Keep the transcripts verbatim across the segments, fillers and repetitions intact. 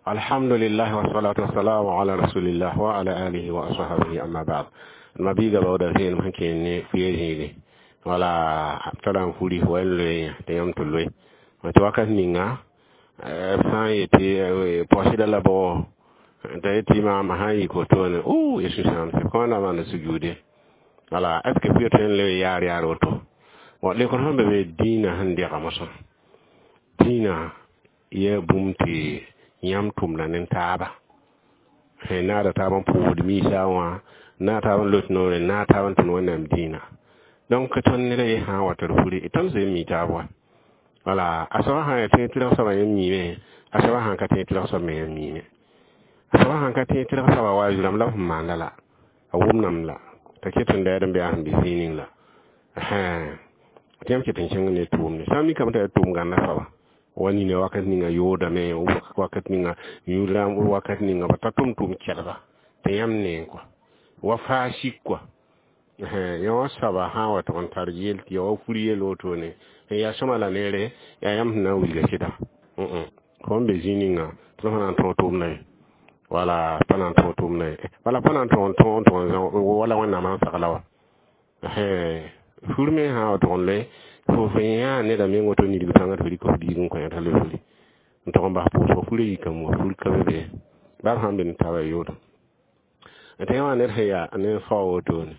Alhamdulillah wassalatu wassalamu ala rasulillah wa ala alihi wa ashabihi, amma ba'd. Ma biiga baooda vẽenem sẽn kẽer ne fuye zĩige wala tara n furi wa n loe tɩ yãmb tɩ loe tɩ wakat ninga b sã n yetɩ paoosda la bao t'a yetɩ maama sã n yik wotone o ya sũ-sãamse kõ na maana sujuude. Wala est ce que fuye tõe n loe yaar yaar woto? Bon, lekr sẽn be be dĩinã sẽn dega mosã dĩinã yaa bũmb tɩ yãmb tʋmda ne taaba naada taab n pʋʋsd miisa wã, naag taab n lot noore, naag taab n tʋm Wẽnnaam dĩinã. Donc tõnd ned a ye sã n wa tɩ d furi, tõnd zoe n mi taab wa. Wala a soaba sã n yaa tẽeg tɩrg soabã yẽ miime, a soaba sã n ka tẽeg tɩrg soab me yẽ miime. A soaba sãn ka tẽeg tɩrg soaba wa zu-rãmb la b sẽn maanda la a wʋmdame la t'a ket n daad n bɩ a sẽn bɩ zĩig ning la tɩ yãmb ket n kẽng ne tʋʋmde sã n mikame t'a yaa tʋʋm gãnda soaba wa nina wakat ninga yoodame, wakat ninga yũud-rãmb, wakat ninga ba ta tʋm tʋʋm kɛlga tɩ yãmb neeng kɔa wa faa sik kɔa. Yã wã soaba sã n wa tʋg n tar yel tɩ ya wa fur yel wotone n yaa sõma la neere, yaa yãmb sẽn na n wilga sɩda fo n be zĩig ninga tɩ f na n tõog tʋʋmda ye, wala pa na n tõog tʋʋmda ye, wala pa na n tõog n tõog n tʋg n zã wala Wẽnnaam sãn sagla wa. Fur me sã n wa tʋg n loe fo fo yãa neda meng woto nidg pãnga tɩ f rɩk f biig n kõ t'a loe furi n tʋg n bas pʋʋsg furã yikame wa fur ka be be baa b sãn be ne taaba yoodo tɩ yã wã ned sẽn yaa ne fao wotone.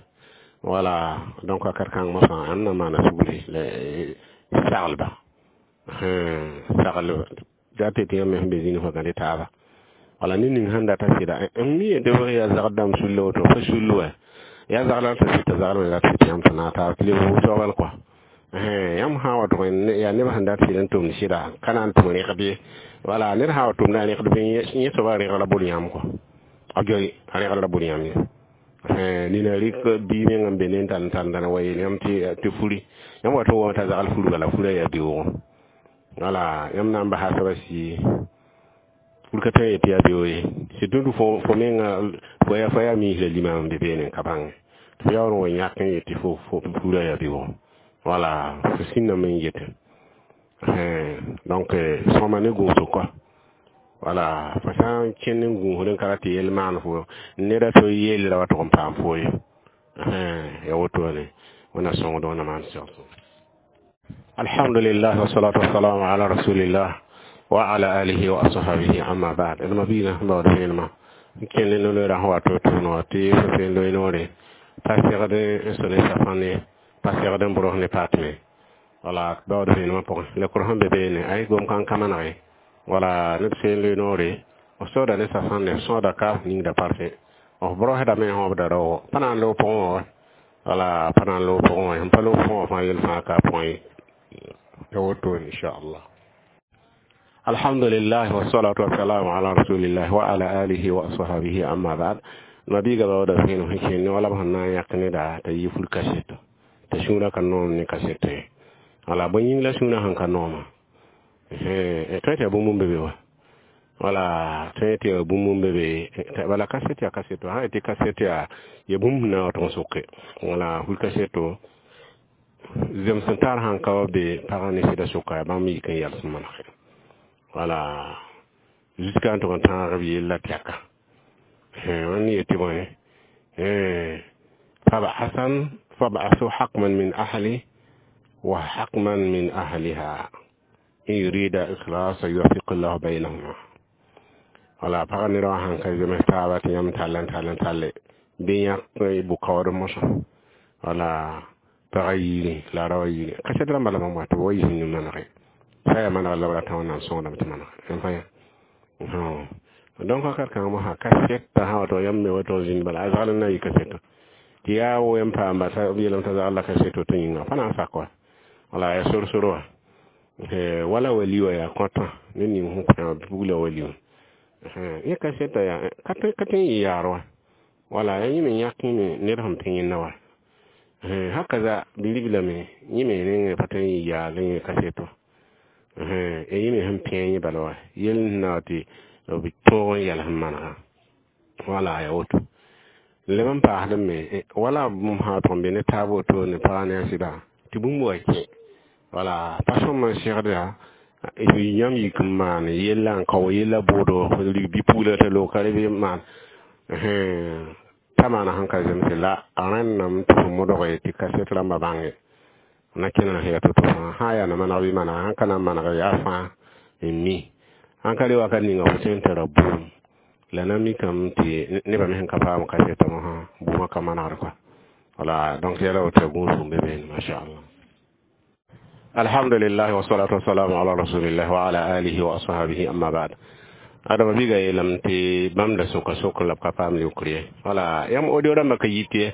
Wala donc wakat kãng mosã ãnd na maana sugri la saglba sagl dat tɩ yãmb me sẽn be zĩnig fo gãd taaba. Wala ned ning sẽn data sɩda n mi tɩ f yaa zagd dãmb sulla woto fo sull wa yaa zagl tɩ sɩd t'a zaglme rat tɩ yãmb tɩ naag taab tɩ leb wʋsg kɔa. Yãmb sã n wa tʋg yaa neb sẽn dat sɩd n tʋmd sɩda ka na n tʋm rẽgd ye. Wala ned sã n wa tʋmda a rẽgd bɩ yẽ soaba rẽgd la bol yãmb kɔ a joe a rẽgd la bol yãmb ye. Nina rɩk bii meng n be ne n tall n tall n wa yeel yãmb tɩ furi yãmb wa tɩ wame t'a zagl furga la furã yaa beoogo. Wala yãmb na n basa soaba sii fur ka tõe n yetɩ yaa beoog ye, surtout fo fo menga fo yaa fo yaa miis la limam n be beene n ka bãnge tɩ fo yaool n wa yãk n yetɩ fo fo furã yaa beoogo. Wala fo sĩndame n yetẽ. Donc sõma ne gũusg kɔa, wala fo sã n kẽnd n gũusd n ka rat tɩ yell maan fo neda to yellra wa tʋg n paam fo ye. Ya wotone wẽnna sõngd wẽnna maan segso. Alhamdulillah wassalatu wassalamu ala rasulillah wa ala alihi wa ashabihi, amma ba'd. D mabiigã sẽn baood vẽenemã n kẽnd ne no-loeerã sẽn wa to tʋʋn wã tɩ fo feen loe noore pa segd n so ne safãn ye, pa segd n bros ne patme. Wala baood vẽenemã pʋgẽ la kʋr sẽn be beene ay gom kãng ka manege. Wala ned feen loe noore f sooda ne safãn ne f sõoda ka ningda parfait f brosdame wãbda raoogo pa na n loog pʋgẽ wã, wala pa na n loog pʋgẽ wã, sẽn pa loog pʋgẽ wã fãa yel fãa ka pʋgẽ ye. Ya wotone inchallah. Alhamdulillah wassalatu wassalamu ala rasulillah wa ala alihi wa ashabihi, amma ba'd. Mabiiga baooda vẽenem sẽn kẽnd ne wala b sẽn na n yãk neda t'a yɩ fur kaseto t'a sũurã ka noom ne kaseto ye. Wala bõe yĩng la sũurã sẽn ka nooma? Tõe tɩ yaa bũmb n be be wa, wala tõe tɩ yaa bũmb n be be. Bala kaset yaa kaseto sã n tɩ kaset yaa ya bũmb sẽn na n wa tʋg n soke. Wala fur kaseto zems n tar sãn ka wa be pagã ne sɩda sʋka yaa bãmb yik n yals n manege. Wala jusqu'à n tʋg n tãag b yella tɛka wẽnd yetɩ bõe fab'asan fab'asu hakman min ahli wa hakman min ahliha in yurida ikhlasa yuwaffiq llahu baynahuma. Wala pagã ned wã sãn ka zems taaba tɩ yãmb tall n tall n talle bɩ yãk bʋ-kaood mosã. Wala pagã yiiri la a raoã yiiri kaset rãmbã la bãmb wa tɩ b wa yis n manege sã yaa maneg la b rata Wẽnnaam sõngdame tɩ maneg n fa yã. Donc wakat kãng mosã kasɛta sã wa tɩ yãmb me wa tɩ zĩnd bala a zagl n na n yɩ kaseto tɩ yaa wo n paamba t'a b yeelame t'a zagl la kaseto tɩ yĩnga pa na n sak wa. Wala yaa sor-sor wa wala wali wa yaa kõtã ned ning sẽn kõ bugla wali wã yẽ kasɛta yaa ka tõe n yɩ yaar wa. Wala yaa yẽ me yãk yẽ ned sẽn pẽ yẽnda wa hakaza bilibla me yẽ me rẽng pa tõe n yɩ yaal yẽ kaseto yẽ me sẽn pẽ yẽ bala wa yell sẽn na wa tɩ b tõog n yɛls n manega. Wala yaa woto leb n paasd me wala bũmb sã tʋg n be ne taab wotone pagã ne a sɩda tɩ bũmb wa kẽ. Wala pa sõm n segda Yãmb yik n maan yella n kao yella bʋʋdo rig bi-pugla t'a loog ka reb maan t'a maana sẽn ka zemse la a rẽnname tɩ fo modge tɩ kaset rãmbã bãnge na kẽna sẽn yaa to-to fãa sã n yaa na maneg bɩ manega sãn ka na n maneg yaa fãa n mi sãn ka re wakat ninga fo tõe n tara bʋʋm la na mikame tɩ nebã me sẽn ka paam kasetã mosã bʋʋmã ka manegd kɔa. Voilà, donc yɛla woto gũusum be beene, mashallah. Alhamdulillah, wassalatu wassalamu ala rasulillah wa ala alihi wa ashabihi, amma ba'd. Adama biga yeelame tɩ bãmb da soka sokr la b ka paam leokr ye. Wala yãmb audio rãmbã ka yit ye.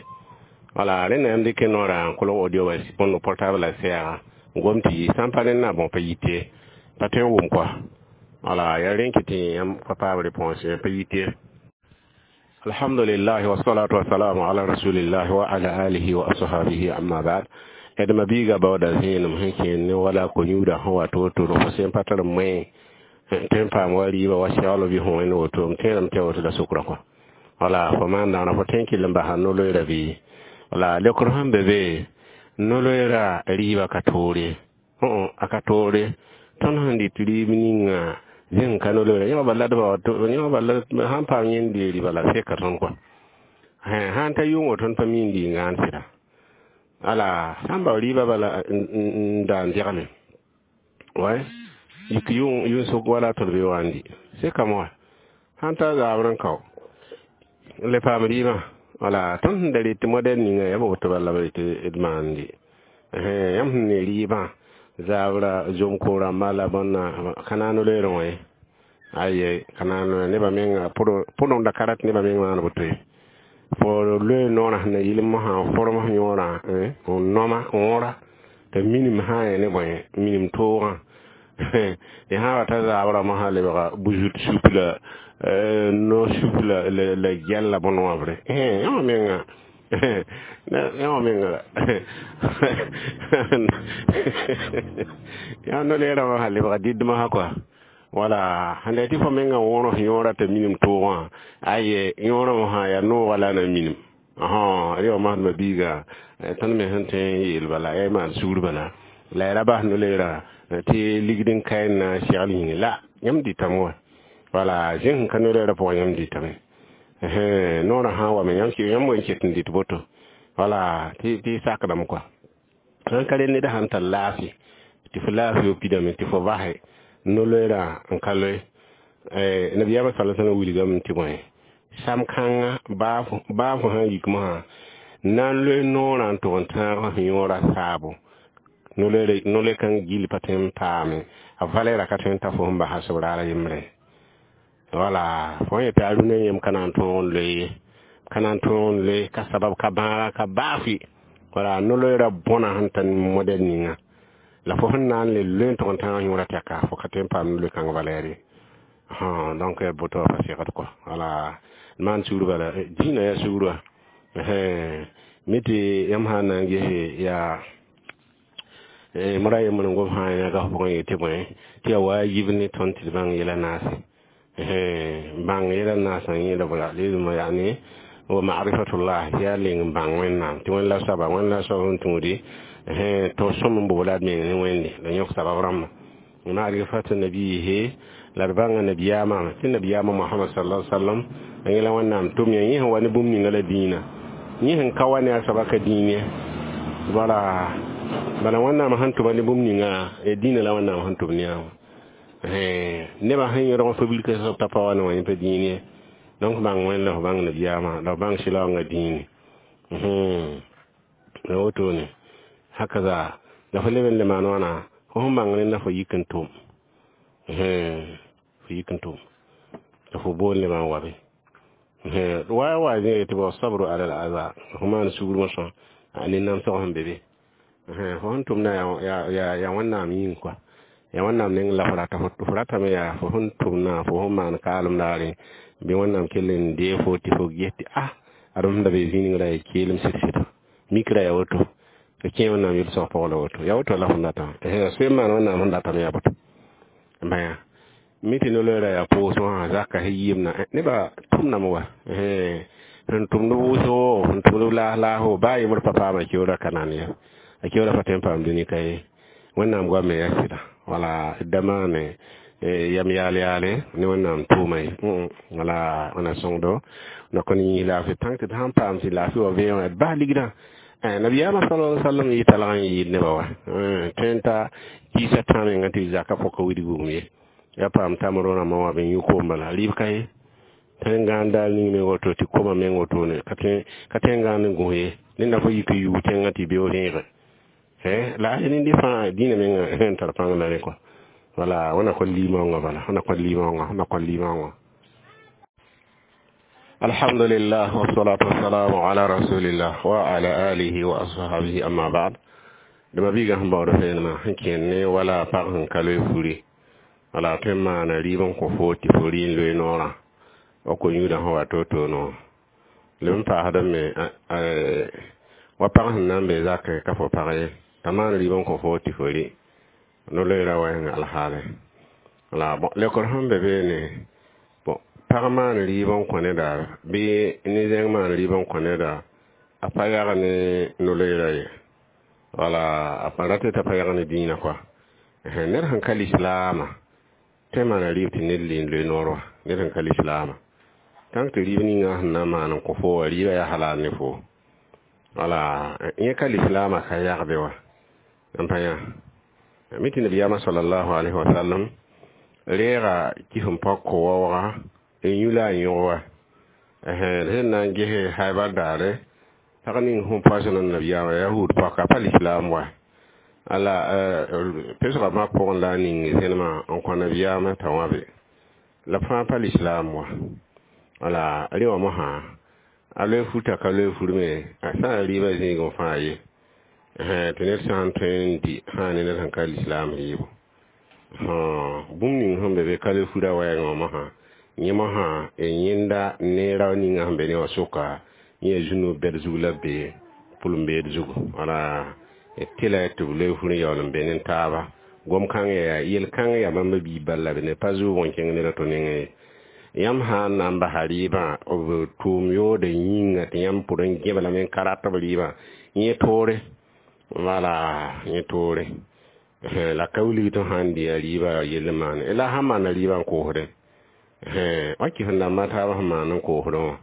Wala rẽnda yãmb dɩk noorã n kolg audio wa bõnd portable la sɛɛga n gom tɩ yi sã n pa rẽndã bõ pa yit ye, pa tõe n wʋm kɔa. Wala yaa rẽn kɩ tɩ yãmb pa paam réponse ye, pa yit ye. Alhamdulillah, wassalatu wassalamu ala rasulillah wa ala alihi wa ashabihi, amma ba'd. Adama biiga baooda zẽenem sẽn kẽer ne wala ko-yũudã sẽn wa to-to fo sẽn pa tar moẽ tõe n paam wa rɩɩbã wa segl bɩ fõ wẽnd woto m tẽedame tɩ ya woto la sʋkrã kɔa. Wala fo maan dãngã fo tõe n kell n basa no-loeera bɩ? Wala leokr sẽn be be, no-loeera rɩɩbã ka toore, a ka toore. Tõnd sẽn dɩt rɩɩb ninga zẽng ka no-loeera yẽ bala dba yẽ bala sãn paam yẽnd dee rɩba la seka tõnd kɔa. Sãn ta yʋngo tõnd pa mi n dɩ n gãan sɩda. Ala sãn bao rɩɩbã bala n da n dẽgle way yik yʋng yʋn-sʋk wala tõd be wa n dɩ sekame wa sãn ta zabr n kao n le paam rɩɩbã. Wala tõnd sẽn da rɩt modɛl ninga yaa woto bala b rɩt d maandi. Yãmb sẽn ne rɩɩbã zabra zom-ko rãmba la bõnna ka na n loeerẽ wã ye. Aye, ka na n nebã menga pʋdem da ka rat nebã meng maan woto ye. Fo loe noorã sẽn na yɩl mosã form yõorã n noma wõra t'a minim sã n ne bõe minim toogã tɩ sã wa ta zabrã mosã lebga buzut sup la no sup la la gɛl la bõn wãbre. Yãmb menga, yãmb menga yaa no-leerã mosã lebga dɩd mosã kɔa. Wala sẽn da tɩ fo menga wõros yõorã t'a minim toogã, aye, yõorã mosã yaa noogã la a na minim rẽ wã masdmã biiga. Tõnd me sẽn tõe n yeel bala yaa maan sugr bala la ya ra bas no-leerã tɩ ligd n ka n na n segl yĩnge la yãmb dɩtame wa. Wala zẽng sẽn ka no-leerã pʋgã yãmb dɩtame noorã sã n wame yãmb yãmb wen ket n dɩt boto. Wala tɩ sakdame kɔa. Sãn ka rel ned sãn tar laafɩ tɩ fo laafɩ yo pidame tɩ fo basɛ no-loeerã n ka loe. Nabiyaamã sala sallam wilgame tɩ bõe sam kãngã baa fo sãn yik mosã na n loe noorã n tʋg n tãag f yõorã saabo no-loe kãng gill pa tõe n paame a valɛɛra ka tõe n ta fo sẽn basa sob raar a yembre. Wala fo yẽ tɩ a rũnã yem ka na n tõog n loe ye, ka na n tõog n loe ka sabab ka bãaga ka baafɩ. Wala no-loeerã bõna sẽn tar modɛl ninga la fo sẽn na n le loe n tʋg n tãag yõorã tɛka fo ka tõe n paam no-loe kãng valɛɛr ye. Donc yaa boto pa segd kɔa. Wala maan sugr bala dĩinã yaa sugr wã mi tɩ yãmb sã n na n gese yaa mora yembr n gom sã n yãga f pʋgẽ yetɩ bõe tɩ yaa waajib ne tõnd tɩ d bãng yɛla naase bãng yɛla naasã yẽeda bala lezma yaani wa ma'rifatullah yaa leng n bãng Wẽnnaam tɩ Wẽnd la soaba, Wẽnd la soab n tũudi to sõm n boola d meng ne Wẽnde la yõk sabab rãmba ma'rifatu nabiyihi la d bãnga nabiyaamã tɩ nabiyaamã Mohamad sallallahu alaihi wasallam a yẽla Wẽnnaam tʋm yã yẽ sẽn wa ne bũmb ninga la dĩinã yẽ sẽn ka wa ne a soaba ka dĩin ye. Wala bala Wẽnnaam sẽn tʋma ne bũmb ninga dĩinã la Wẽnnaam sẽn tʋm ne a wã nebã sẽn yõdg n fabilka soab t'a pa wa ne wã yẽ pa dĩin ye. Donc bãng Wẽnd la f bãng nabiyaamã la f bãng sɩlaoongã dĩine la wotone hakaza la fo leb n le maan wãna fo sẽn bãng rẽnda fo yik n tʋm fo yik n tʋm la fo boond lebã n wa be wa wa zẽ tɩ bao sabru ala al aza fo maan sugr mosã ne namsg sẽn be be fo sẽn tʋmda yaa Wẽnnaam yĩng kɔa, yaa Wẽnnaam neng la fo rata fo ratame yaa fo sẽn tʋmna fo sẽn maan kaalem daare bɩ Wẽnnaam kell n dee fo tɩ fo ges tɩ a adem sẽn da be zĩig ra yaa keelem sɩd-sɩd mikra yaa woto tɩ kẽ Wẽnnaam yel-sag pʋgã la woto yaa woto la fõn datã soe n maan Wẽnnaam sẽn datame yaa boto bãya mi tɩ no-loeerã yaa pʋʋs wã zaka sẽn yɩɩmna nebã tʋmdame wa sẽn tʋmd wʋsgo sẽn tʋmd laas laasgo baa yembr pa paama keoora ka nan ya a keoora pa tõe n paam dũni ka ye. Wẽnnaam goam yaa sɩda wala d da maane yam yaal yaale ne Wẽnnaam tʋʋma ye. Wala wẽna sõngdo na kõ yĩs laafɩ tãng tɩ d sãn paam tɩ laafɩ wa vẽe wã d bas ligdã. Nabiyaamã sala sallam yɩ talg n yɩɩd nebã wa tõe n ta kiisã tã menga tɩ zaka pʋka wilg bũmb ye ya paam tamro rãmbã wã b yũ koom bala rɩɩb ka ye tõe n gãan daal ning meng woto tɩ koma meng wotone ka tõe n gãan n gõs ye ned na fo yik n yug tẽngã tɩ beoog rẽege la a rẽndi fãa dĩinã menga n tar pãng la rẽ kɔa. Wala wẽna kõ limaoongã bala wẽna kõ limaoongã wẽna kõ limaoongã. Alhamdulillah, wassalatu wassalamu ala rasulillah wa ala alihi wa ashabihi, amma ba'd. Dama biiga sẽn baood vẽenemã sẽn kẽnd ne wala pag sẽn ka loe furi wala tõe n maana rɩɩb n kõ fo tɩ fo rɩ n loe noorã wa ko-yũudã sẽn wa to-to no leb n paasdame me wa pag sẽn na n be zakẽ ka fo pag ye t'a maan rɩɩb n kõ fo tɩ fo rɩ no-loeera wɛɛngã alhaale. Wala bon lekr sẽn be beene bon pag maan rɩɩb n kõ neda bɩ ne-zẽng maan rɩɩb n kõ neda a pa yag ne no-loeera ye wala a pa rat t'a pa yag ne dĩinã kɔa. Ned sẽn ka lislaamã tõe n maana rɩɩb tɩ ned le n loe noor wa ned sẽn ka lislaamã tãng tɩ rɩɩb ninga sẽn na n maan n kõ fo wa rɩɩbã yaa halal ne fo wala yẽ ka lislaamã ka yagbe wa n pa yã mi tɩ nabiyaamã sallallahu alaihi wa sallam reega kis n pɔg ko-waooga n yũ la a yõg wa sẽn na n ges Haibar daare pag ning sẽn poasẽ nabiyaamã yahud pɔka pa lislaam wa ala pesga mak pʋgẽ la a ning zẽnemã n kõ nabiyaamã t'a wãbe la fãa pa lislaam wa wala rẽ wã mosã a loe futa ka loe fur me a sã n rɩɩbã zĩigẽ fãa ye tɩ ned sã n tõe n dɩ sã ne ned sẽn ka lislaam rɩɩbo bũmb ning sẽn be be ka loe fura wɛɛngã wã mosã yẽ mosã yẽnda neera ninga sẽn be ne wã sʋka yẽ yaa zũnu bɛd zug la be pʋlem-beed zugu wala tɩla tɩ b loe fur n yaool n be ne taaba gom kãng yaa yel-kãng yaa bãmba biig bal la be ne pa zʋʋg n kẽng ned a to nengẽ ye yãmb sã n na n basa rɩɩbã b tʋʋm yood yĩnga tɩ yãmb pʋd n gẽb lame n ka rat b rɩɩbã yẽ toore wala yẽ toore la ka wilg tɩ sã n dɩ a rɩɩbã yell n maane la sãn maana rɩɩbã n koosdẽ wa kɩs n dãmba taabã sẽn maan n koosdẽ wã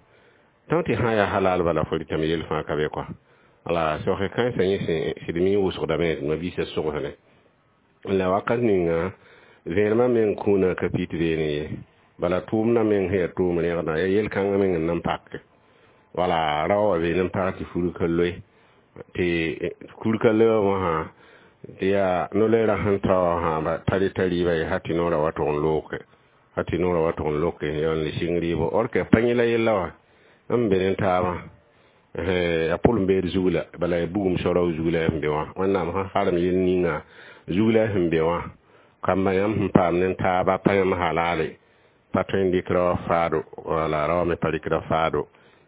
tõng tɩ sã n yaa halal bala fo rɩtame yell fãa ka be kɔa wala soke kãensã yẽ sẽd mi wʋsgdame tɩ ma-biisã sogsdẽ la wakat ninga vẽenemã meng kũunã ka pit beene ye bala tʋʋmdã meng sẽn yaa tʋʋm rẽgdã yaa yel-kãngã meng n na n pake wala rao wa beene n pag tɩ fur ka loe tɩ kur ka loe wã tɩ yaa no-loeerã sẽn ta wã sãaba tari t'a rɩɩba ye ha tɩ noorã wa tʋg n looke ha tɩ noorã wa tʋg n loke yaool n sɩng rɩɩbo or ke pa yẽ la yella wã n be ne taabã a pʋlem-beed zug la bala ya bugum sorg zug la sẽn be wã Wẽnnaam sẽn harem yel ninga zug la sẽn be wã kamba yãmb sẽn paam ne taaba pa yãmb halale pa tõe n dɩk rao faado wala rao me pa rɩkda faado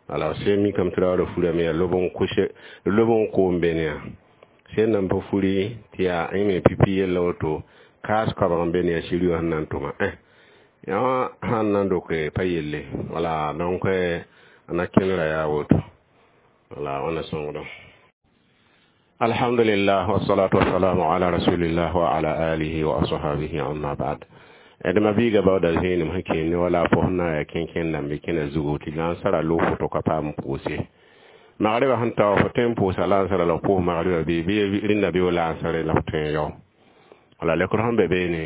wala sẽn mikame tɩ raoodã furame yaa lob n kʋse lob n koom bene yaa sẽn nan pa furi tɩ yaa yẽ me pipi yella woto kaas koabg n be ne yaa siri wã sẽn na n tʋma yã sãn na n doke pa yelle wala donc a na kẽnera yaa woto wala wãna sõngdo. Alhamdulillah, wassalatu wassalamu ala rasulillah wa ala alihi wa ashabihi, amma ba'd. D ma biiga baooda zẽenem sẽn kẽnd wala fos na yaa kẽnkẽn dãmb kẽna zugu tɩ lãnsara loog foto ka paam pʋʋse magrɩbã sẽn tao fo tõe n pʋʋsa lãnsara la f pʋʋs magrɩbã bɩ bɩ rẽnda bɩ lãnsare la f tõe n yao wala lekr sẽn be beene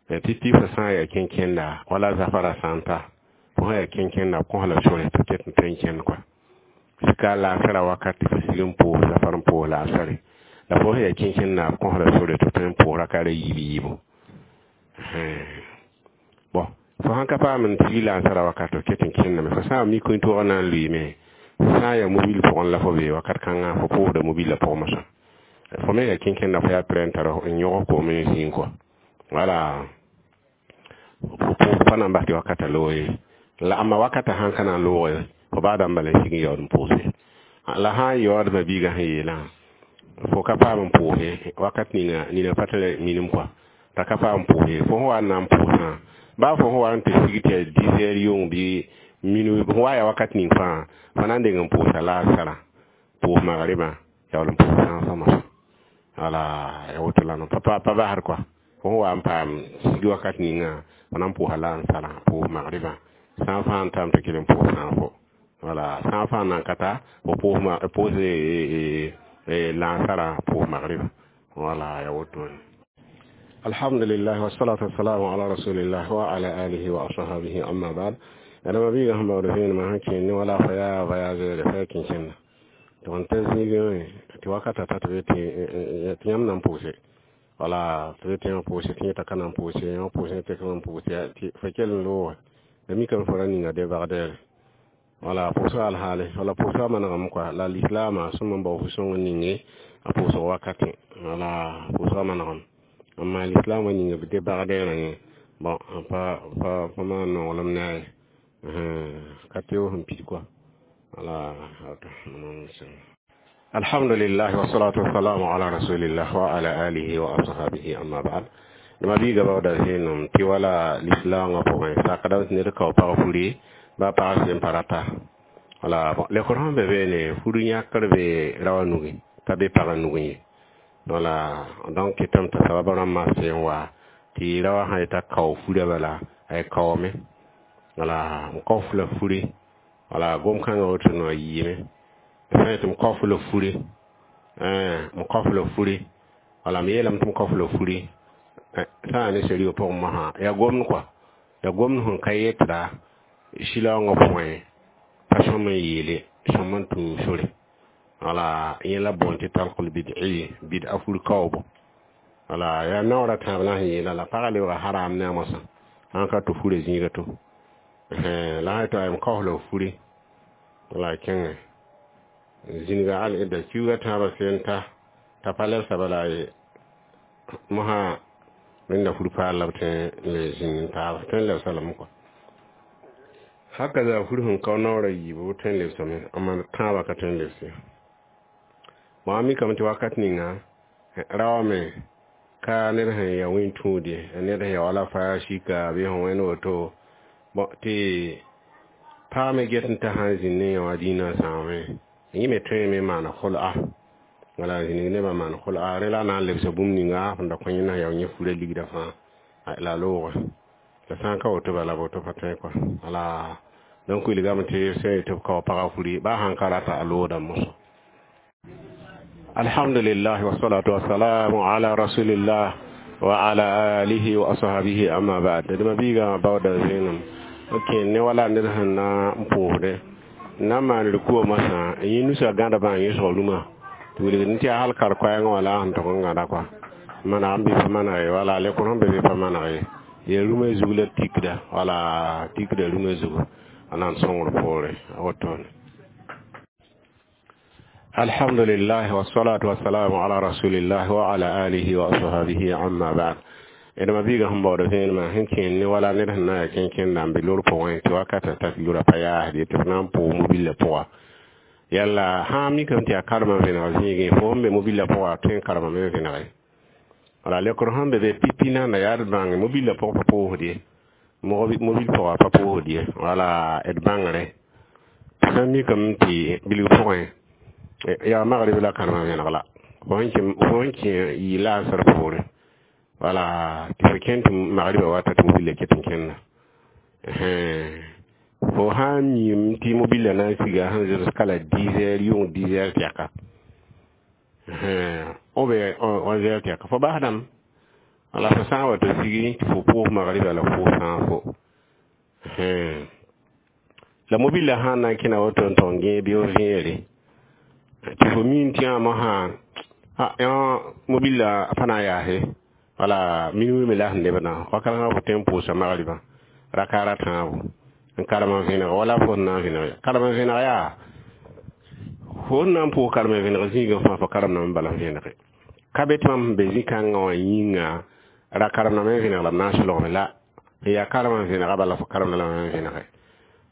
tɩ tɩ fo sã n yaa kẽnkẽnda wala zafara sã n ta fo sã yaa kẽnkẽnda b kõs la sore tɩ ket n tõe n kẽnd kɔa sika laasara wakat tɩ fo sig n pʋʋs zafar n pʋʋs laasare la fo sẽn yaa kẽnkẽnda b kõs la sore tɩ tõe n pʋʋs raka ra yiib yiibo. Bon, fo sãn ka paam n tig lansara wakat f ket n kẽndame fo sã n mi kũn-toogã na n lʋɩɩme sã n yaa mobil pʋgẽ la fo be wakat kãngã fo pʋʋsda mobilã pʋgẽ mosã fo me yaa kẽnkẽnda fo yaa prɛ n tar n yõg koom n zĩig kɔa wala pa na n bas tɩ wakata loog ye la amma wakata sãn ka na n loog fo baada n bala n sig n yaood n pʋʋse la sã n yaoodmã biigã sẽn yeelã fo ka paam n pʋʋse wakat nina nina pa tara minim kɔa t'a ka paam pʋʋse fo sẽn wa n na n pʋʋsã baa fo sẽn wa n tɩ sig tɩ yaa dix heures yʋng bɩ minuit fo wa yaa wakat ning fãa fo na n deng n pʋʋsa laasara pʋʋs magrɩbã yaool n pʋʋs sãasã mosã. Wala ya woto la no pa pa basd kɔa fo sẽn wa n paam sig wakat ninga fo na n pʋʋsa la n sara pʋʋs magribã sã n fãa n tame tɩ kell n pʋʋs sãafo wala sã n fãa nan ka ta fo pʋʋs pʋʋs laansarã pʋʋs magribã wala ya wotone. Alhamdulillah, wassalatu wassalamu ala rasulillah wa ala alihi wa ashabihi, amma ba'd. Adama biiga sẽn baood vẽenemã sẽn kẽen ne wala fa yaa voyageur fa ya kẽn-kẽnda tɩ n ta zĩigẽ tɩ wakata ta tɩ be tɩ yãmb na n pʋʋse wala tɩ be tɩ yãmb pʋʋse tɩ yẽta ka na n pʋʋse yãmb pʋʋse tɩ ka n pʋʋse tɩ fo kell n looge la mikame fo ra ninga débardeur wala pʋʋsga alhaale wala pʋʋsga manegame kɔa la lislaamã sõm n bao fu-sõng n ninge a pʋʋsg wakatẽ wala pʋʋsga manegame amma l'islam wa ninga b débardeur yẽ bon pa pa pa maan nonglem ne a ye ka tɩ sẽn pid kɔa wala. Alhamdulillah, wassalatu wassalamu ala rasulillah wa ala alihi wa ashabihi, amma ba'd. Dama biiga baooda vẽenem tɩ wala lislaangã pʋgẽ sakdame tɩ ned kao pag furi ba pag sẽn pa rata wala lekr sẽn be beene fur yãkr be raoã nugẽ t'a be pagã nugẽ ye wala donc kɩtame t'a sabab rãmbã sẽn wa tɩ raoã sã yeta kao furã bala a kaoome wala n kao la fure wala gom-kãngã woto no yiime sã yetɩ m kao la fure m kao la fure wala m yeelame tɩ m kao la fure sã n yaa ne sariya pʋgẽ mosã yaa gomd kɔa yaa gomd sẽn ka yetda silaoongã pʋgẽ pa sõm n yeele sõm n tũ sore wala yẽ la boond tɩ talkl bid'i bid'a fur kaoobo wala yaa naoora tãab la sẽn yeela la pagã lebga haram ne a mosã sãn ka tɩ furã zĩiga to la sã tɩ m kaos la fure wala kẽngẽ zĩniga al ida kiuga tãabã sẽn ta t'a pa lebsa bala ye mosã rẽnda fur paal la b tõe n le zĩnd n taaba tõe n lebsa lame kɔa haka za fur sẽn kao naoora yiibu b tõe n lebsame amma tãabã ka tõe n lebse bõn a mikame tɩ wakat ninga raoame ka ned sẽn ya wẽn-tũud ye ned sẽn ya wala fa sika bɩ sẽn wẽnd woto bõ tɩ pag me get n t'a sã n zĩnd ne yã wã dĩinã sãame yẽ me tõeme n maan khʋl'a wala zĩnig nebã maan khʋl'a rẽ la a na n lebsa bũmb ninga sẽn da kõ yẽ na yao yẽ furã ligdã fãa la looge la sã n ka woto bala woto pa tõe kɔa wala donc wilgame tɩ sẽn yetɩ b kao pagã furi baa sãn ka rata a loodame moso. Alhamdulillah, wassalatu wassalamu ala rasulillah wa ala alihi wa ashabihi, amma ba'd. Dma biiga baooda vẽenem kẽen ne wala ned sẽn na n pʋʋsdẽ n na n maan rikuwa masã n yẽ nusa gãda bã n yẽsg rũmã tɩ wilgd tɩ yaa hal kar-koɛɛngã wala sẽn tog n gãda kɔa maneg n bɩ pa maneg ye wala lekr sẽn be bɩ pa maneg ye yaa rũmã zug la tikda wala tikda rũmã zugu a na n sõngr poore a wotone. Alhamdulillah, wassalatu wassalamu ala rasulillah wa ala alihi wa ashabihi, amma ba'd. Dma biiga sẽn baooda vẽenemã sẽn kẽen ne wala ned sẽn na ya kẽn-kẽnda n be lor pʋgẽ tɩ wakata ta tɩ lora pa yaasd ye tɩ f na n pʋʋg mobillã pʋga yalla sã n mikame tɩ yaa karemã vẽneg zĩigẽ fo sẽn be mobillã pʋga tõe n karemame n vẽnege wala lekr sẽn be be pipi nanda yaa d bãng mobillã pʋg pa pʋʋsd ye mobil pʋga pa pʋʋsd ye wala d bãngre sã n mikame tɩ bilg pʋgẽ yaa magrib la karemã vẽneg la fo sẽn kẽ yɩ laasr poore wala tɩ fo kẽn tɩ magribã wata tɩ mobillã ket n kẽnda fo sã n miime tɩ mobillã na n siga sẽn zems kala dix heures yʋng dix heures tɛka ou bien onze heures tɛka fo basdame wala fo sã n wa tɩ sigi tɩ fo pʋʋs magribã la pʋʋs sãafo la mobillã sã n na n kẽna woto n tog n gẽe bɩ f vẽere tɩ fo miin tɩ yã mosã yã mobillã pa na n yaase wala minuit me la sẽn lebdã wakat sã fo tõe n pʋʋsa magribã rakaara tãabo n karem n vẽneg wala fo sẽn na n vẽneg karem n vẽneg yaa fo sẽn na n pʋʋs karem n vẽneg zĩigã fãa fo karemdame bala n vẽnege ka be tɩ mam sẽn be zĩ-kãngã wã yĩnga ra karemdame n vẽneg la b na n solgme la n yaa karem n vẽnega bala fo karemda lame n vẽnege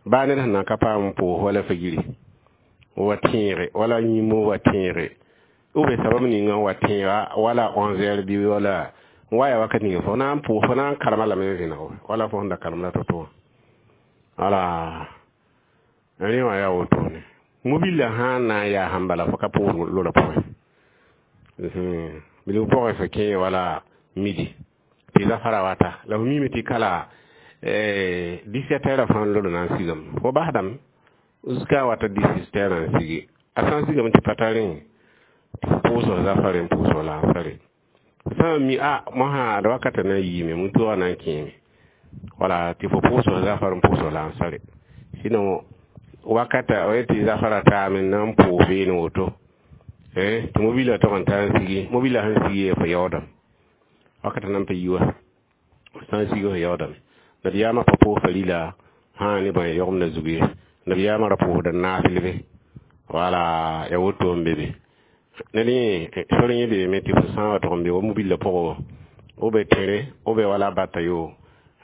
baa ned sẽn na ka paam n pʋʋs wala figiri wa tẽege wala yĩmo wa tẽege ou bien sabab ninga wa tẽega wala onze heures bɩ wala n wa yaa wakat ninga fo na n pʋʋs fo na n karema lame n vẽneg wala fo sẽn da karem la to-to wã wala rẽ wã yaa wotone mobillã sã n na n yaa sãn bala fo ka pʋʋs lora pʋgẽ. Bilg pʋgẽ fo kẽ wala midi tɩ zafara wata la fo miime tɩ kala dix-sept heures fãa lod na n sigame fo basdame jusqu'à wata dix-huit heures n sigi a sã n sigame tɩ pa tar rẽ tɩ fo pʋʋsg zafare n pʋʋsg lansare sã n mi a mosã ad wakata na n yiime mutoogã na n kẽeme wala tɩ fo pʋʋsg zafar n pʋʋsg lansare sinon wakata o tɩ zafara taame n na n pʋʋs beene woto tɩ mobila tog n tar n sigi mobila sẽn sigi fo yaoodame wakata nan pa yi wa sã n sigi fo yaoodame nabiyaamã pa pʋʋs farila sã ne bõe yogmda zug ye nabiyaamã ra pʋʋsda naasl be wala ya woto n be be ned yẽ sor yẽ beeme tɩ fo sã n wa tog n be wa mobila pʋgẽ b be tẽre b be wala bata yo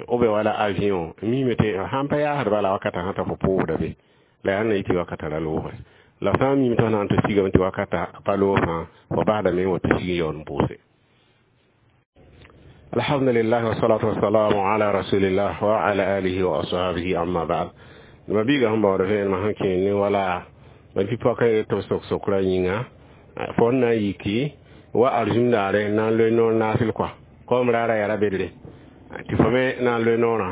b be wala avion miime tɩ sãn pa yaasd bala wakata sã t'a fo pʋʋsda be la yaa na yɩ tɩ wakata ra loogre la sã n miime tɩ f na n tɩ sigame tɩ wakata pa loog fãa fo basdame n wa tɩ sig n yaool n pʋʋse. الحمد لله والصلاة والسلام على رسول الله وعلى آله وأصحابه أما بعد ma biiga sẽn baood vẽenemã sẽn kẽer ne wala ma tɩ pɔka tɩ b sok sokra yĩnga fo n na n yiki wa arzũm daare n na n loe noor naasl kɔa kom raara yaa ra-bedre tɩ fo me na n loe noorã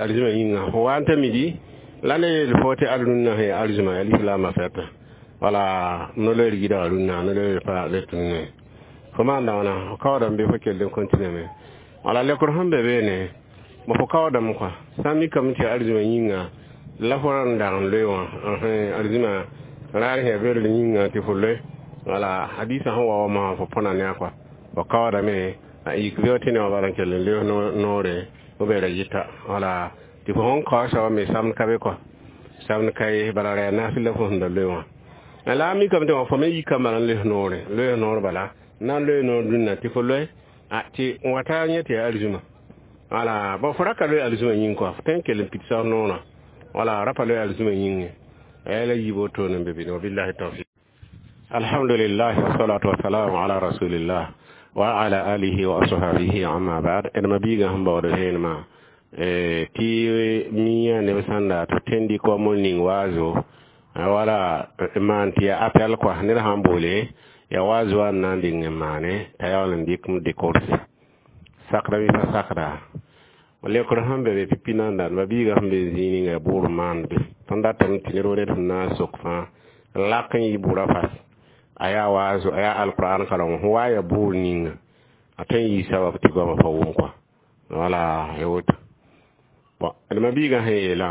arzũmã yĩnga fo wa n ta midi la ne yeel fo tɩ ad-rũnnã sẽn yaa arzũmã yaa lislaambã fɛta wala no loeer yidga rũnnã no loeer pa let rũnnã fo maanda wãna fo kaoodame bɩ fo kell n continue me wala lekr sẽn be beene bõ fo kaoodame kɔa sã n mikame tɩ yaa arzũmã yĩnga la fo ra n dag n loe wã arzũmã raar sẽn yaa bedr yĩnga tɩ fo loe wala hadisa sẽn wa wa mosã fo põna ne a kɔa fo kaoodame a yik bɩ tɩ ne wã bala n kell n leoos noore b ra yɩta wala tɩ fo sẽn kao soaba me samd ka be kɔa samd ka ye bala ra yaa naasl la fo sẽn da loe wã la a mikame tɩ wã fo me yikame bala n leos noore loeos noor bala na n loe noor dũnna tɩ fo loe tɩ n wata yẽ tɩ yaa arzũmã wala bon fo ra ka loe arzũmã yĩng kɔa fo tõe n kell n pidsa noorã wala ra pa loe arzũmã yĩngẽ a la yiib wotone n be bɩ wabillahi tawfiq. Alhamdulillah wassalatu wassalamu ala rasulillah wa ala alihi wa ashabihi amma ba'd. D ma biigã sẽn baood vẽenemã tɩ miã neb sãn da tɩ tẽn dɩk wa mol ning waazo wala maan tɩ yaa appel kɔa ned sãn boole ya waazo wã n na n dɩng n maane t'a yaool n dɩk m décorse sakda bɩ pa sakda lekr sẽn be be pipi nan ma biigã sẽn be zĩig ninga yaa bʋʋr maand be tõnd datame tɩ ned wa ned sẽn na n sok fãa lak n yɩ bʋra fas a yaa waazo a yaa alqur'an kareng fo wa ya bʋʋr ninga a tõe n yɩ sabab tɩ goamã pa wʋm kɔa wala ya woto bon d ma biigã sẽn yeelã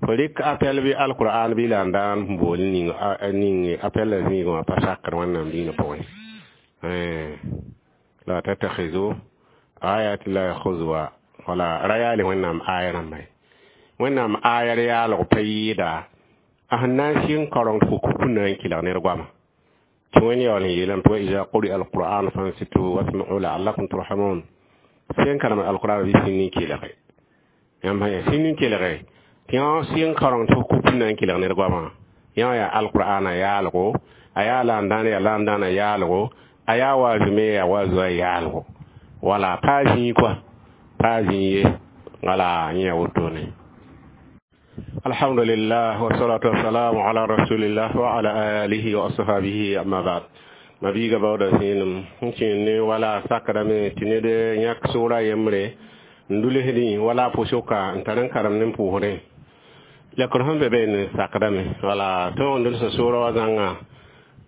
fo rɩk appel bɩ alqur'an bɩ la n daan bool ning ning appel la zĩigẽ wã pa sakr wẽnnaam diinã pʋgẽ la tattakhizu ayati llahi huzwa wala ra yaale wẽnnaam aya rãmba ye wẽnnaam aya r yaalg pa yɩɩda a sẽn na n sɩng kaoreng tɩ fo kuku na n kɩlg ned goama tɩ wẽnd yaool n yeelame tɩ wa iza quri'a alquran fansitu wasma'u la'allakum turhamun sẽn karem alquran bɩ sĩnd n kelge yãmb sã sĩnd n kelge tɩ yã sɩng kaoreng tɩ fo kuku na n kɩlg ned goamã yã yaa alqur'ana yaalgo a yaa la n dãan yaa la n dãana yaalgo a yaa waazu me yaa waazu a yaalgo wala pa zĩig kɔa pa zĩig ye wala yẽ ya wotone. Alhamdulillah wassalatu wassalamu ala rasulillah wa ala alihi wa ashabihi amma ba'd. Ma biiga baooda zĩenem n kẽer ne wala sakdame tɩ ned yãk sʋʋra yembre n dulsdẽ wala pʋsʋka n tar n karem ne n pʋʋsdẽ lekr sẽn be beene sakdame wala tõog n dʋlsa sʋʋra wa zãnga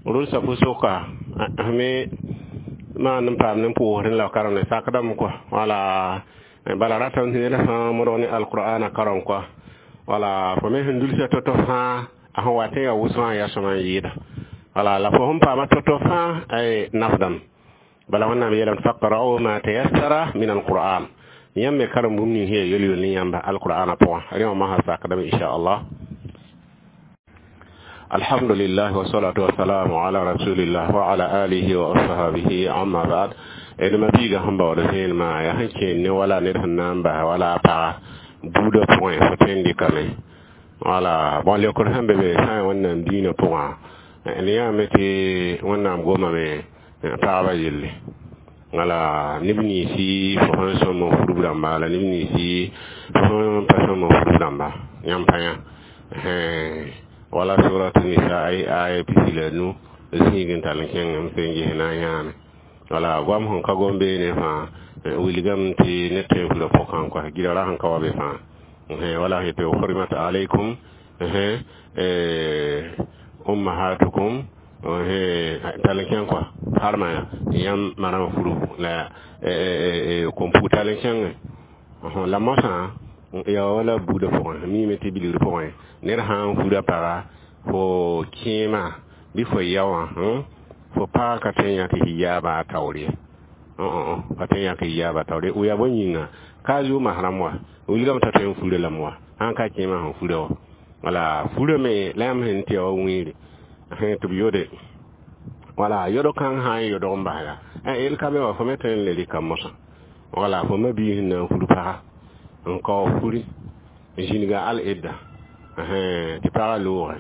rʋlsa pʋsʋka me maan n paam ne n pʋʋsdẽ la karemde sakdame kɔa wala bala ratame tɩ ned fãa modg ne alqur'ana karem kɔa wala fo me sẽn dulsa to-to fãa a sẽn wa tɩ yaa wʋsgã yaa sõma n yɩɩda wala la fo sẽn paama to-to fãa ay nafdame bala wẽnnaam yeelame tɩ faqra'u ma tayassara min alqur'an yãmb me karem bũmb ning sẽn yaa yel-yell ne yãmba alqur'ana pʋgã rẽ wã masã sakdame inchallah. Alhamdulillah wassalatu wassalamu ala rasulillah wa ala alihi wa ashabihi amma ba'd. D ma biiga sẽn baood vẽenemã yaa sẽn kẽer ne wala ned sẽn na n bas wala a paga buudã pʋgẽ fo tõe n dɩkame wala bõn leokr sẽn be be sã n wẽnnaam diinã pʋgã ne yãame tɩ wẽnnaam gomame pagba yelle wala neb ninsi fo sẽn sõm n furb rãmba la neb ninsi fo sẽn pa sõm n furb rãmba yãmb pa yã wala surat nisa ay aya pisi la nu zĩig n tall n kẽng m sẽn ges na n yãame. Wala goam sẽn ka gom beene fãa wilgame tɩ ned tõe n fura pʋgã kɔs gɩdgra sẽn ka wa be fãa. Wala sẽn yetɩ hurmat alaykum ummahatukum tall n kẽng kɔa harma yãmb marã furbu la kom-pug tall n kẽngẽ. La mosã ya wala buudã pʋgẽ miime tɩ bilgr pʋgẽ ned sã n fura paga fo kẽema bɩ fo ya wã fo paga ka tõe n yãk hijaaba a taoor ye, ka tõe n yãk hijaaba taoor ye. Ya bõe yĩnga ka a zu masrãmb wa wilgame t'a tõe n fura lame wa sãn ka kẽemã sẽn fura wa. Wala furame la yãmb sẽn tɩ ya wa wĩiri tɩ b yode wala yodg kãng sã n yodg n bas ya yel ka be wa fo me tõe n le rɩka mosã. Wala fo ma-biis sẽn na n fur paga n kao furi n zĩniga al-idda tɩ pagã loogẽ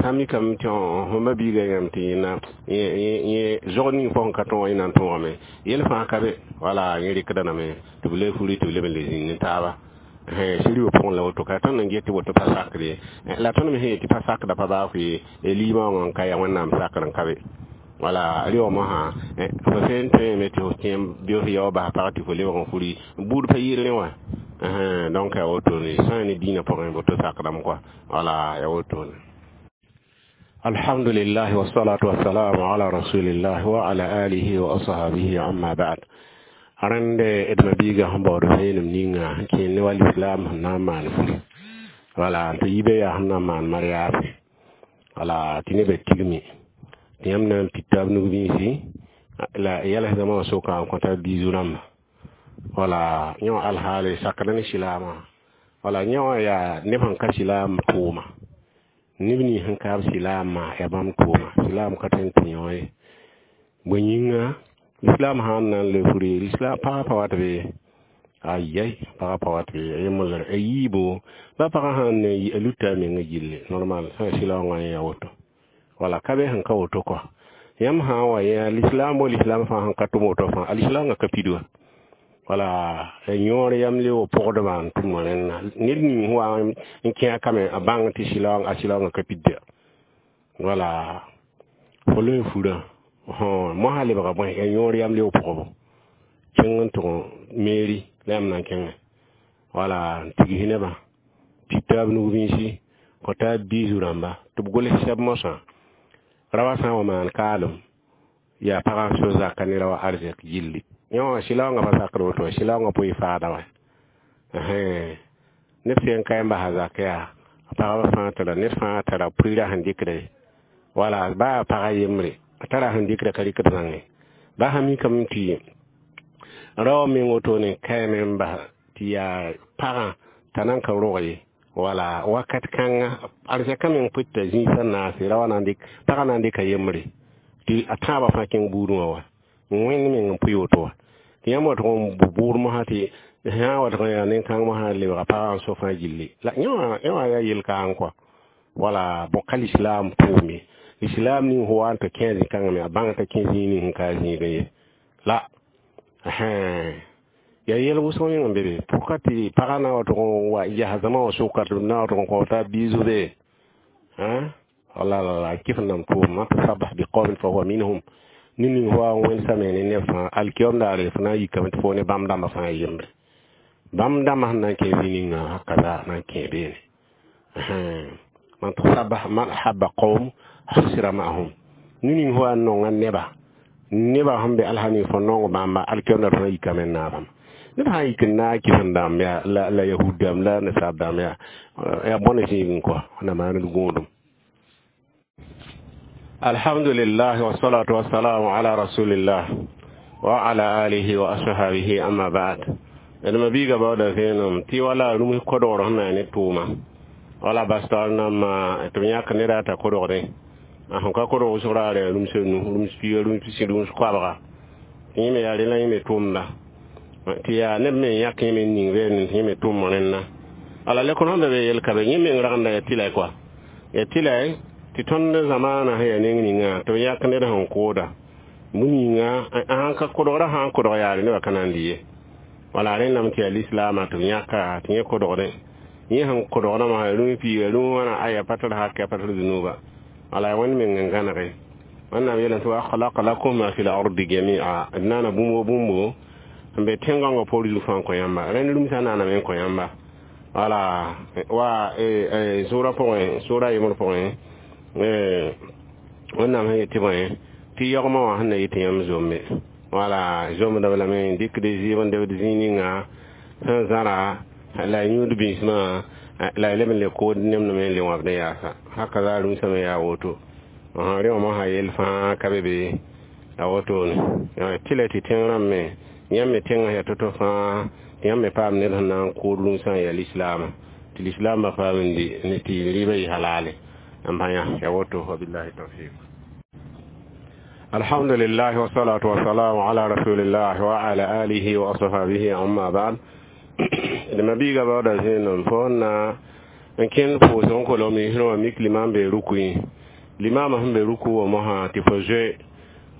sã n mikame tɩ fo ma-biigã yãmb tɩ yẽna yẽ zog ning fo sẽn ka tõog yẽ na n tõogame yel fãa ka be. Wala yẽ rɩkda lame tɩ b le furi tɩ b leb n le zĩnd ne taaba sɩrɩ pʋgẽ la woto ka tõnd n get tɩ woto pa sakr ye. La tõnd me sẽn yet tɩ pa sakda pa baa fo ye liimã wã n ka ya Wẽnnaam sakr n ka be. Wala rɩ wã mosã fo sẽn tõeme tɩ fo kẽem bɩ f yao bas pag tɩ fo lebg n furi buud pa yɩɩr rẽ wã. Donc ya wotone sã ne dĩinã pʋgẽ woto sakdame kɔa. Wala ya wotone. Alhamdulillah wassalatu wassalamu ala rasulillah wa ala alihi wa ashabihi amma ba'd. Rẽnde d ma-biigã sẽn baood vẽenem ninga sẽn kẽend ne wa lislaam sẽn na n maan furi wala tɩ yibe yaa sẽn na n maan mariage wala tɩ nebã tigme tɩ yãmb na n pid taab nug-bĩisi la yɛls dãmbã wã soka n kõta biizu rãmba. Wala yẽ wã alhaale sakda ne silaamã wala yẽ wã yaa neb sẽn ka silaam tʋʋma neb nins sẽn kaab silaamã yaa bãmb tʋʋma silaam ka tõe n tɩ yõ ye. Bõe yĩnga l'islam sãn na n le furi l'islam pagã pa wat be ayai pagã pa wat be yemosr a yiibo ba pagã sãn ne a luta a menga gilli normal sã silaoongã yẽ ya woto. Wala ka be sẽn ka woto kɔ yãmb sã n wa yã l'islam wa l'islam fãa sẽn ka tʋm woto fãa a l'islamã ka pid wa. Wala yõor yam le wa pʋgdbã n tʋm rẽnna ned ning sẽn wa n kẽ a kame a bãng tɩ silaoong a silaoongã ka pidda. Wala fo loe furã mosã lebga bõe ya yõor yam le pʋgbo kẽng n tʋg mairie la yãmb na n kẽngẽ wala n tigs nebã pid taab nug-bĩisi kõ taab biisu rãmba tɩ b gols sɛb mosã ra wa sã n wa maan kaalem yaa pagã so zaka ne ra wa arzɛk gilli yẽ wã silaoongã pa sakd woto silaoongã pʋɩ faada wã ned sẽn n ka n basa zak yaa pagba fãa tara ned fãa tara pʋɩɩrã sẽn dɩkde wala baa pagã yembre a tara sẽn dɩkda ka rɩkd zãnge ba sã mikame tɩ rao meng wotone kaame n bas tɩ yaa pagã t'a nan ka rog ye wala wakat kãnga arzɛkã meng pʋta zĩisã naase ra wa na n dɩk pagã na n dɩka yembre tɩ a tãabã fãa kẽng buudẽ wã wa wẽnd meng n pʋɩ woto wa tɩ yãmb wa tʋg n bʋʋd mosã tɩ sã n wa tʋg n yaa nen-kãng mosã lebga pagã n so fãa gilli la yẽ wã yaa yel-kaang kɔa. Wala bõ ka lislaam pʋʋme lislaam ning fo wa n tɩ kẽ zĩ-kãngã me a bãng t'a kẽ zĩig ning sẽn ka a zĩigẽ ye la yaa yɛl wʋsg meng n be be pʋka tɩ pagã na wa tʋg n wa yas zãma wã sʋka tɩ b na wa tʋg n kõ t'a biisu be wala la kɩf n nam tʋʋm man tasabah biqawmin fahuwa minhum ned ning fo wa n wẽnsame ne neb fãa alkiyom daare fo na n yikame tɩ fo ne bãmb dãmbã fãa yembre bãmb dãmbã sẽn na n kẽ zĩ ninga hakaza na n kẽ beene man tasabah man ahabba qawm husira ma'ahum ned ning fo wa n nonga neba neba sẽn be alsa ning fo nong bãmba alkiyom daare fo na n yikame n naabame ned sã n yik n naag kɩs n dãmb yaa la la yahud dãmb la nasaar dãmb yaa yaa bõne zĩigẽ kɔa na maan d gõodum. Alhamdulillah wassalatu wassalamu ala rasulillah wa ala alihi wa ashabihi amma ba'd. D ma-biigã baooda vẽenem tɩ wala rũms kodgr sẽn na ne tʋʋma wala bas taoor nambã tɩ b yãk ned t'a kodgdẽ a sẽn ka kodg wʋsg raare rũms nu rũms piiga rũms pisi rũms koabga tɩ yẽ me yaa rẽ la yẽ me tʋʋmda tɩ yaa neb me n yãk yẽ me n ning vẽenem tɩ yẽ me tʋʋm rẽnna ala lekr sẽn be be yel ka be yẽ meng ragenda yaa tɩlɛ kɔa yaa tɩlɛ tɩ tõnd zamaanã sẽn yaa neng ninga tɩ b yãk ned sẽn kooda bũmb yĩnga sãn ka kodgrã sã n kodg yaare nebã ka na n lɩ ye wala rẽndame tɩ yaa lislaamã tɩ b yãka tɩ yẽ kodgdẽ yẽ sẽn kodgdã masã rũm piiga rũm wãna aya pa tar hak pa tar zunuba wala wẽnd meng n gãnege Wẽnnaam yeelame tɩ wa khalaqa lakum ma fi l-ardi jami'a d naana bũmb wo bũmbo n be tẽn-gãngã poor zug fãa n kõ yãmba rẽnd rũmsã naaname n kõ yãmba wala wa sʋʋrã pʋgẽ sʋʋra yembr pʋgẽ wẽnnaam sẽn yet tɩ bõe tɩ yagmã wã sẽn na yɩ tɩ yãmb zombe wala zomdb lame n dɩkd zɩɩb n debd zĩig ninga sẽn zãra la y yũud bĩsmã la y leb n le kood nemdame n le wãbd n yaasa haka za rũmsã me yaa woto rẽ wã mosã yell fãa ka be be a wotone tɩ la tɩ tẽng rãmb me yãmb me tẽngã yaa to-to fãa tɩ yãmb me paam ned sẽn na n kood rũmsã n yaa lislaamã tɩ lislaambã paam n di ne tɩ rɩɩbã yɩ halale n bã yã ya woto wabillahi tawfiq الحمد لله والصلاة والسلام على رسول الله وعلى آله وأصحابه أما بعد لما بيغا بعد زين فونا n kẽnd pʋʋsg n kolg miisrẽ wã mik limam be ruku yẽ limamã sẽn be ruku wã mosã tɩ fo zoe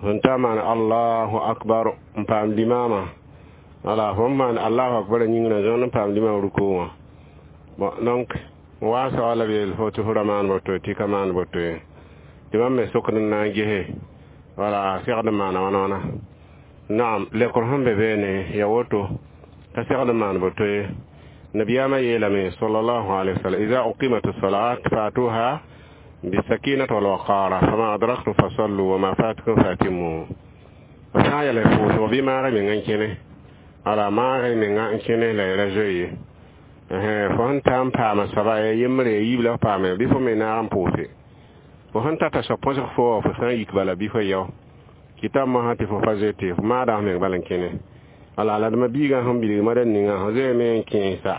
fõn ta maan allahu akbar n paam limama wala fõn maan allahu akbar yĩngrã zõnd n paam limam ruku wã bon donc wa soa la b yeel fo tɩ fo ra maan boto tɩ ka maan boto ye tɩ bãmb me sokd n na n gese wala segd n maana wãna wãna naam lekr sẽn be beene ya woto ka segd n maan boto ye نبيama yeelame صلى الله عليه وسلم إذا أقيمت الصلاة فأتوها بالسكينة والوقار فما أدركتم فصلوا وما فاتكم فأتموا sã n yɛl pʋʋsg bɩ maag y mengã n kẽne wala maag y mengã n kẽne la y ra zoe ye fo sẽn ta n paama soaba ya yembre ya yiib la f paame bɩ fo me naag n pʋʋse fo sẽn tata soab põsg fo wa fo sã n yik bala bɩ fo yao kɩta mosã tɩ fo pa zoe tɩ fo maada f meng bala n kẽne wala la d ma biigã sẽn bilg mada ninga fo zoeeme n kẽesa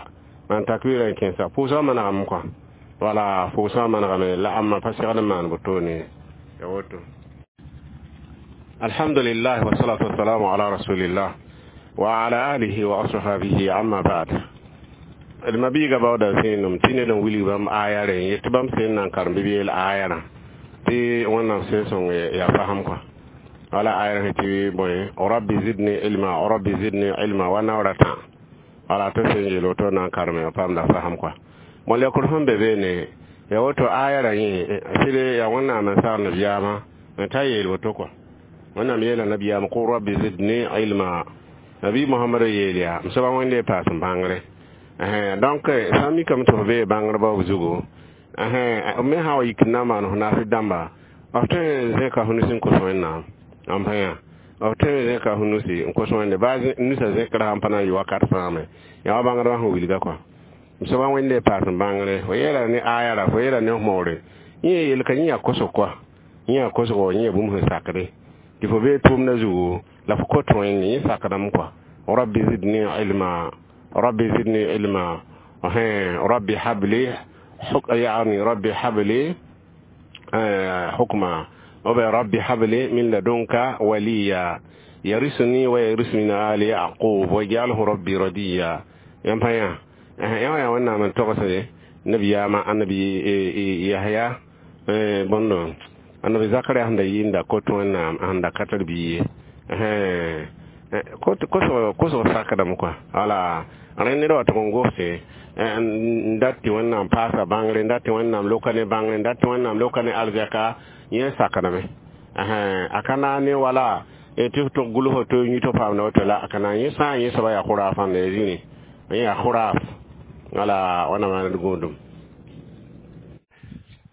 maan takbɩrã n kẽesa pʋʋsgã manegame kɔa wala pʋʋsgã manegame la ãmba pa segd n maan wotone ya woto الحمد لله والصلاة والسلام على رسول الله وعلى آله وأصحابه أما بعد d mabiiga baooda zẽenem tɩ ned n wilg bãmb aya rẽ yet tɩ bãmb sẽn na n karem bɩ b yeel aya rã tɩ wẽnnaam sẽn sõng yaa fasem kɔa wala aya rẽ tɩ bõe رب زدني علما رب زدني علما wa naoor tã wala tɩ sẽn yeel woto na n kareme paamda fasem kɔa bõe lekr sẽn be beene ya woto aya rã yẽ sɩd yaa wẽnnaam n sagl nabiyaamã n ta yeel woto kɔa wẽnnaam yeela nabiyaam قل رب زدني علما nabi mohamad yeel yaa m soaba wẽnde paas n bãngre donc sã n mikame tɩ f bee bãngrba b zugu me sã wa yik n na n maan f naas dãmba f tõe n zẽka f nus n kos wẽnnaam n pa yã f tõe n zẽka f nusi n kos wẽnde baa nusã zẽkra sãn pa na n yɩ wakat fãa me yaa wa bãngdbã sẽn wilga kɔa m soaba wẽnde paas n bãngre fo yeela ne aya ra fo yeela ne f moore yẽ yel ka yẽ yaa kosg kɔa yẽ yaa kosgo yẽ yaa bũmb sẽn sakde tɩ fo bee tʋʋmdã zugu la fo kot wẽnde yẽ sakdame kɔa رب زدني علما رب زدني علما رب هب لي حك يعني رب هب لي حكما رب هب لي من لدنك وليا يرثني ويرث من آل يعقوب واجعله ربي رضيا yãmb yã yã yaa wẽnnaam n togsde nabiyaamã annabi yahya bõndo annabi zakaria sẽn da yɩɩnda kot wẽnnaam sẽn da ka tar bia ye kosg sakdame kɔa wala rẽ ned wa tʋg n gose n dat tɩ wẽnnaam paasa bãngre n dat tɩ wẽnnaam loka ne bãngre n dat tɩ wẽnnaam loka ne arzɛka yẽ sakdame a ka naag ne wala tɩ f tʋg gʋls to yũ tɩ paamda woto la a ka naag yẽ sã n yẽ soaba yaa khuraafãnda ya zĩni yẽ yaa khuraaf wala wãna maand gũudum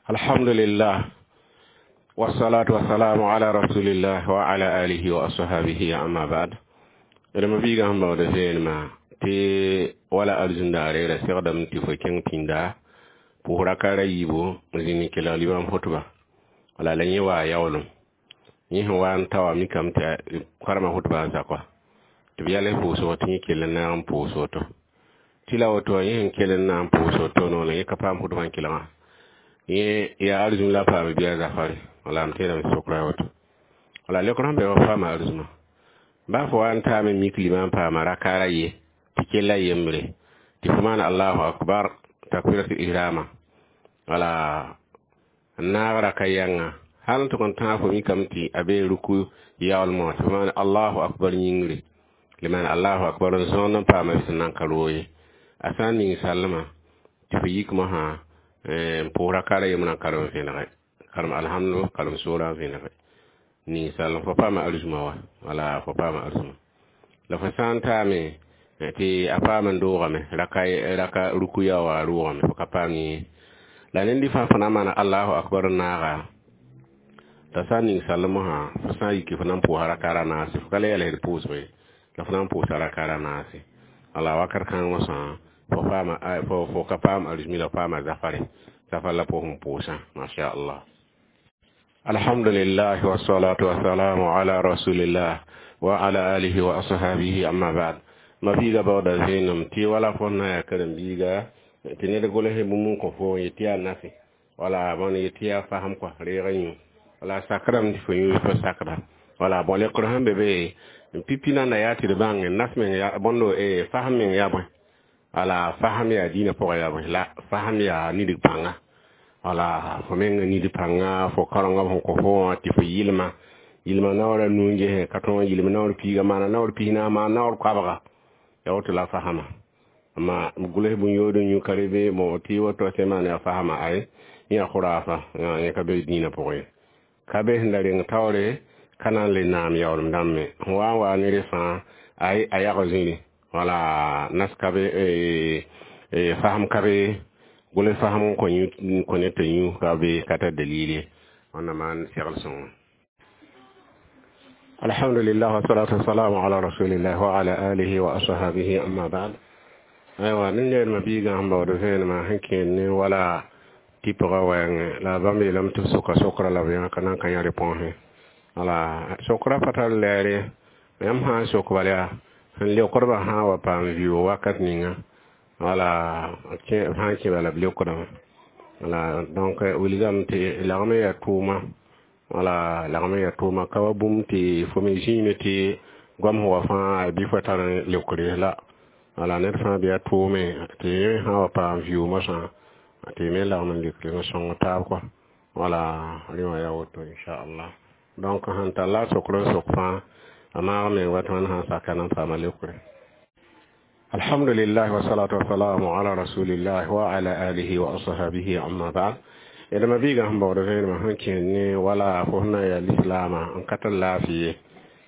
alhamdulillah والصلاة والسلام على رسول الله وعلى آله وأصحابه أما بعد d mabiigã sẽn baood zeenmã tɩ wala arzũndaare ra segdame tɩ fo kẽng pĩnda pʋʋs raka ra yiibu n zĩnd n kelg limam hʋtba wala la yẽ waa yaoolem yẽ sẽn wa n ta wã mikame tɩ karema hʋtbã n zakwa tɩ b yɛls pʋʋsg tɩ yẽ kell n naag n pʋʋs woto tɩ la woto yẽ sẽn kell n na n pʋʋs woto noolẽ yẽ ka paam hʋtbã n kelgã yẽ yaa arzũm la paam bɩa zafare wala m teedame sokra woto wala lekr sẽn be wa paama arzũmã ba fo wa n taame mik limam paama rakaara ye tɩ kella yembre tɩ fo maan allahu akbar takbiratul ihrama wala n naag raka yãnga hal n tʋg n tãag fo mikame tɩ a bee ruku yaoolmã tɩ fo maan allahu akbar yĩngre le maan allahu akbar n zõond n paama b sẽn nan ka roog ye a sã n ning sallmã tɩ fo yik mosã n pʋʋs rakaara yembrã karem vẽnege karem alhamdu karem soorã n vẽnege Ninsal fo paama arzuma wa, wala fo paama arzuma la fo sã n taame tɩ a paam n doogame raka raka rukuya wa rʋʋgame, fo ka paam yẽ la ned fãa fo na n maana allahu akbar n naaga t'a sã n ning salem sã, fo sã n yiki fo na n pʋʋsa raka ra naase, fo ka le yɛls d pʋʋsg ye, la fo na n pʋʋsa raka ra naase. Wala wakat kãng mosã fo paama fo fo ka paam arzumi la paama zafare zafar la pʋʋs n pʋʋsã, masha allah. Alhamdulillah, wassalatu wassalamu ala rasulillah wa ala alihi wa ashabihi, amma ba'd. Ma biiga baooda vẽenem tɩ wala fo na yaa karen-biiga tɩ ned gʋls bũmb n kõ fo yetɩ yaa nafe wala bõn yetɩ yaa fasem kɔa reeg yũ wala sakrame tɩ fo yũ fo sakda wala bõ lekr sẽn be be pipi nanda yaa tɩ d bãng nas meng bõndo fasem meng yaa bõe. Wala fasem yaa dĩinã pʋgã yaa bõe la fasem yaa nidg pãnga, wala fo meng nid pãnga fo karenga sẽn kõ fo wã tɩ fo yɩlma yɩlma naoor a nuu n ges ka tõog n yɩlm naoor piiga maana naoor pis-naas maan naoor koabga ya woto la fasema. Amma gʋls bũn-yood n yũ ka be bon tɩ woto sẽn maan yaa fasema ay yã khurafa yẽ ka be dĩinã pʋgẽ ye, ka be sẽn da reng taoore ka na n le naam yaoolem dãmb me sẽn wa n wa ne rẽ fãa ay a yag zĩri wala nas ka be fasem ka be gʋls fasem n kõ ned tɩ yũ ka be ka tar dalil ye. Wẽnnaam maan segl sõngo. Alhamdulillah, wassalatu wassalamu ala rasulillah wa ala alihi wa ashabihi, amma ba'd. Aywa nin yɛlma biigã sẽn baood vẽenemã sẽn kẽed ne wala tɩpgã wɛɛngẽ la bãmb yeelame tɩ b soka sokra la b yã ka na n ka yã réponse. Wala sokra pa tar lɛɛre yãmb sã n sok bal yaa sẽn leokdbã sã n wa paam vɩʋʋg wakat ninga wala b sã n kẽ bala b leokdame. Wala donc wilgame tɩ lagm n yaa tʋʋma, wala lagm n yaa tʋʋma ka wa bũmb tɩ fo me zĩime tɩ goam sẽn wa fãa bɩ fo tar leokre la. Wala ned fãa bɩ a tʋʋme tɩ yẽ sã n wa paam vɩʋʋg mosã tɩ me lagm n leokre n sõng taab kɔa. Wala rẽ wã yaa woto, inchallah. Donc sẽn tar la a sokr n sok fãa a maag meng wa tɩ wãnd sã n saka na n paama leokre. Alhamdulillah, wassalatu wassalamu ala rasulillah wa ala alihi wa ashabihi, amma ba'd. D ma biigã sẽn baood vẽenemã sẽn kẽed ne wala fo sẽn na n yaa lislaamã n ka tar laafɩ ye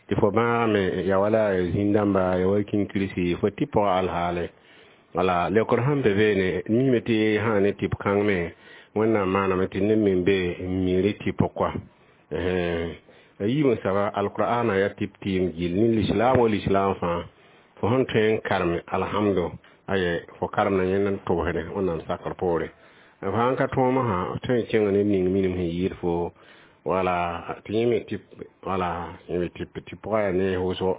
tɩ fo bãagame ya wala zĩn-dãmba ya wa kĩnkirsi fo tɩ pʋgã alhaale. Wala leokr sẽn be beene mime tɩ sã ne tɩp kãng me Wẽnnaam maaname tɩ neb me be n mi tɩp kɔa a yiib n saba alqur'ana ya tɩp tɩɩm gill ne lislaam wa lislaam fãa fo sẽn tõe n karem alhamdu aye fo karemda yẽnd n tʋbsde Wẽnnaam sakr poore f sãn ka tõom sã tõe n kẽng ned ning minim sẽn yɩɩd fo wala tɩ yẽ me tɩp wala yẽ me tɩp tɩ pʋgã yaa ne wʋsgo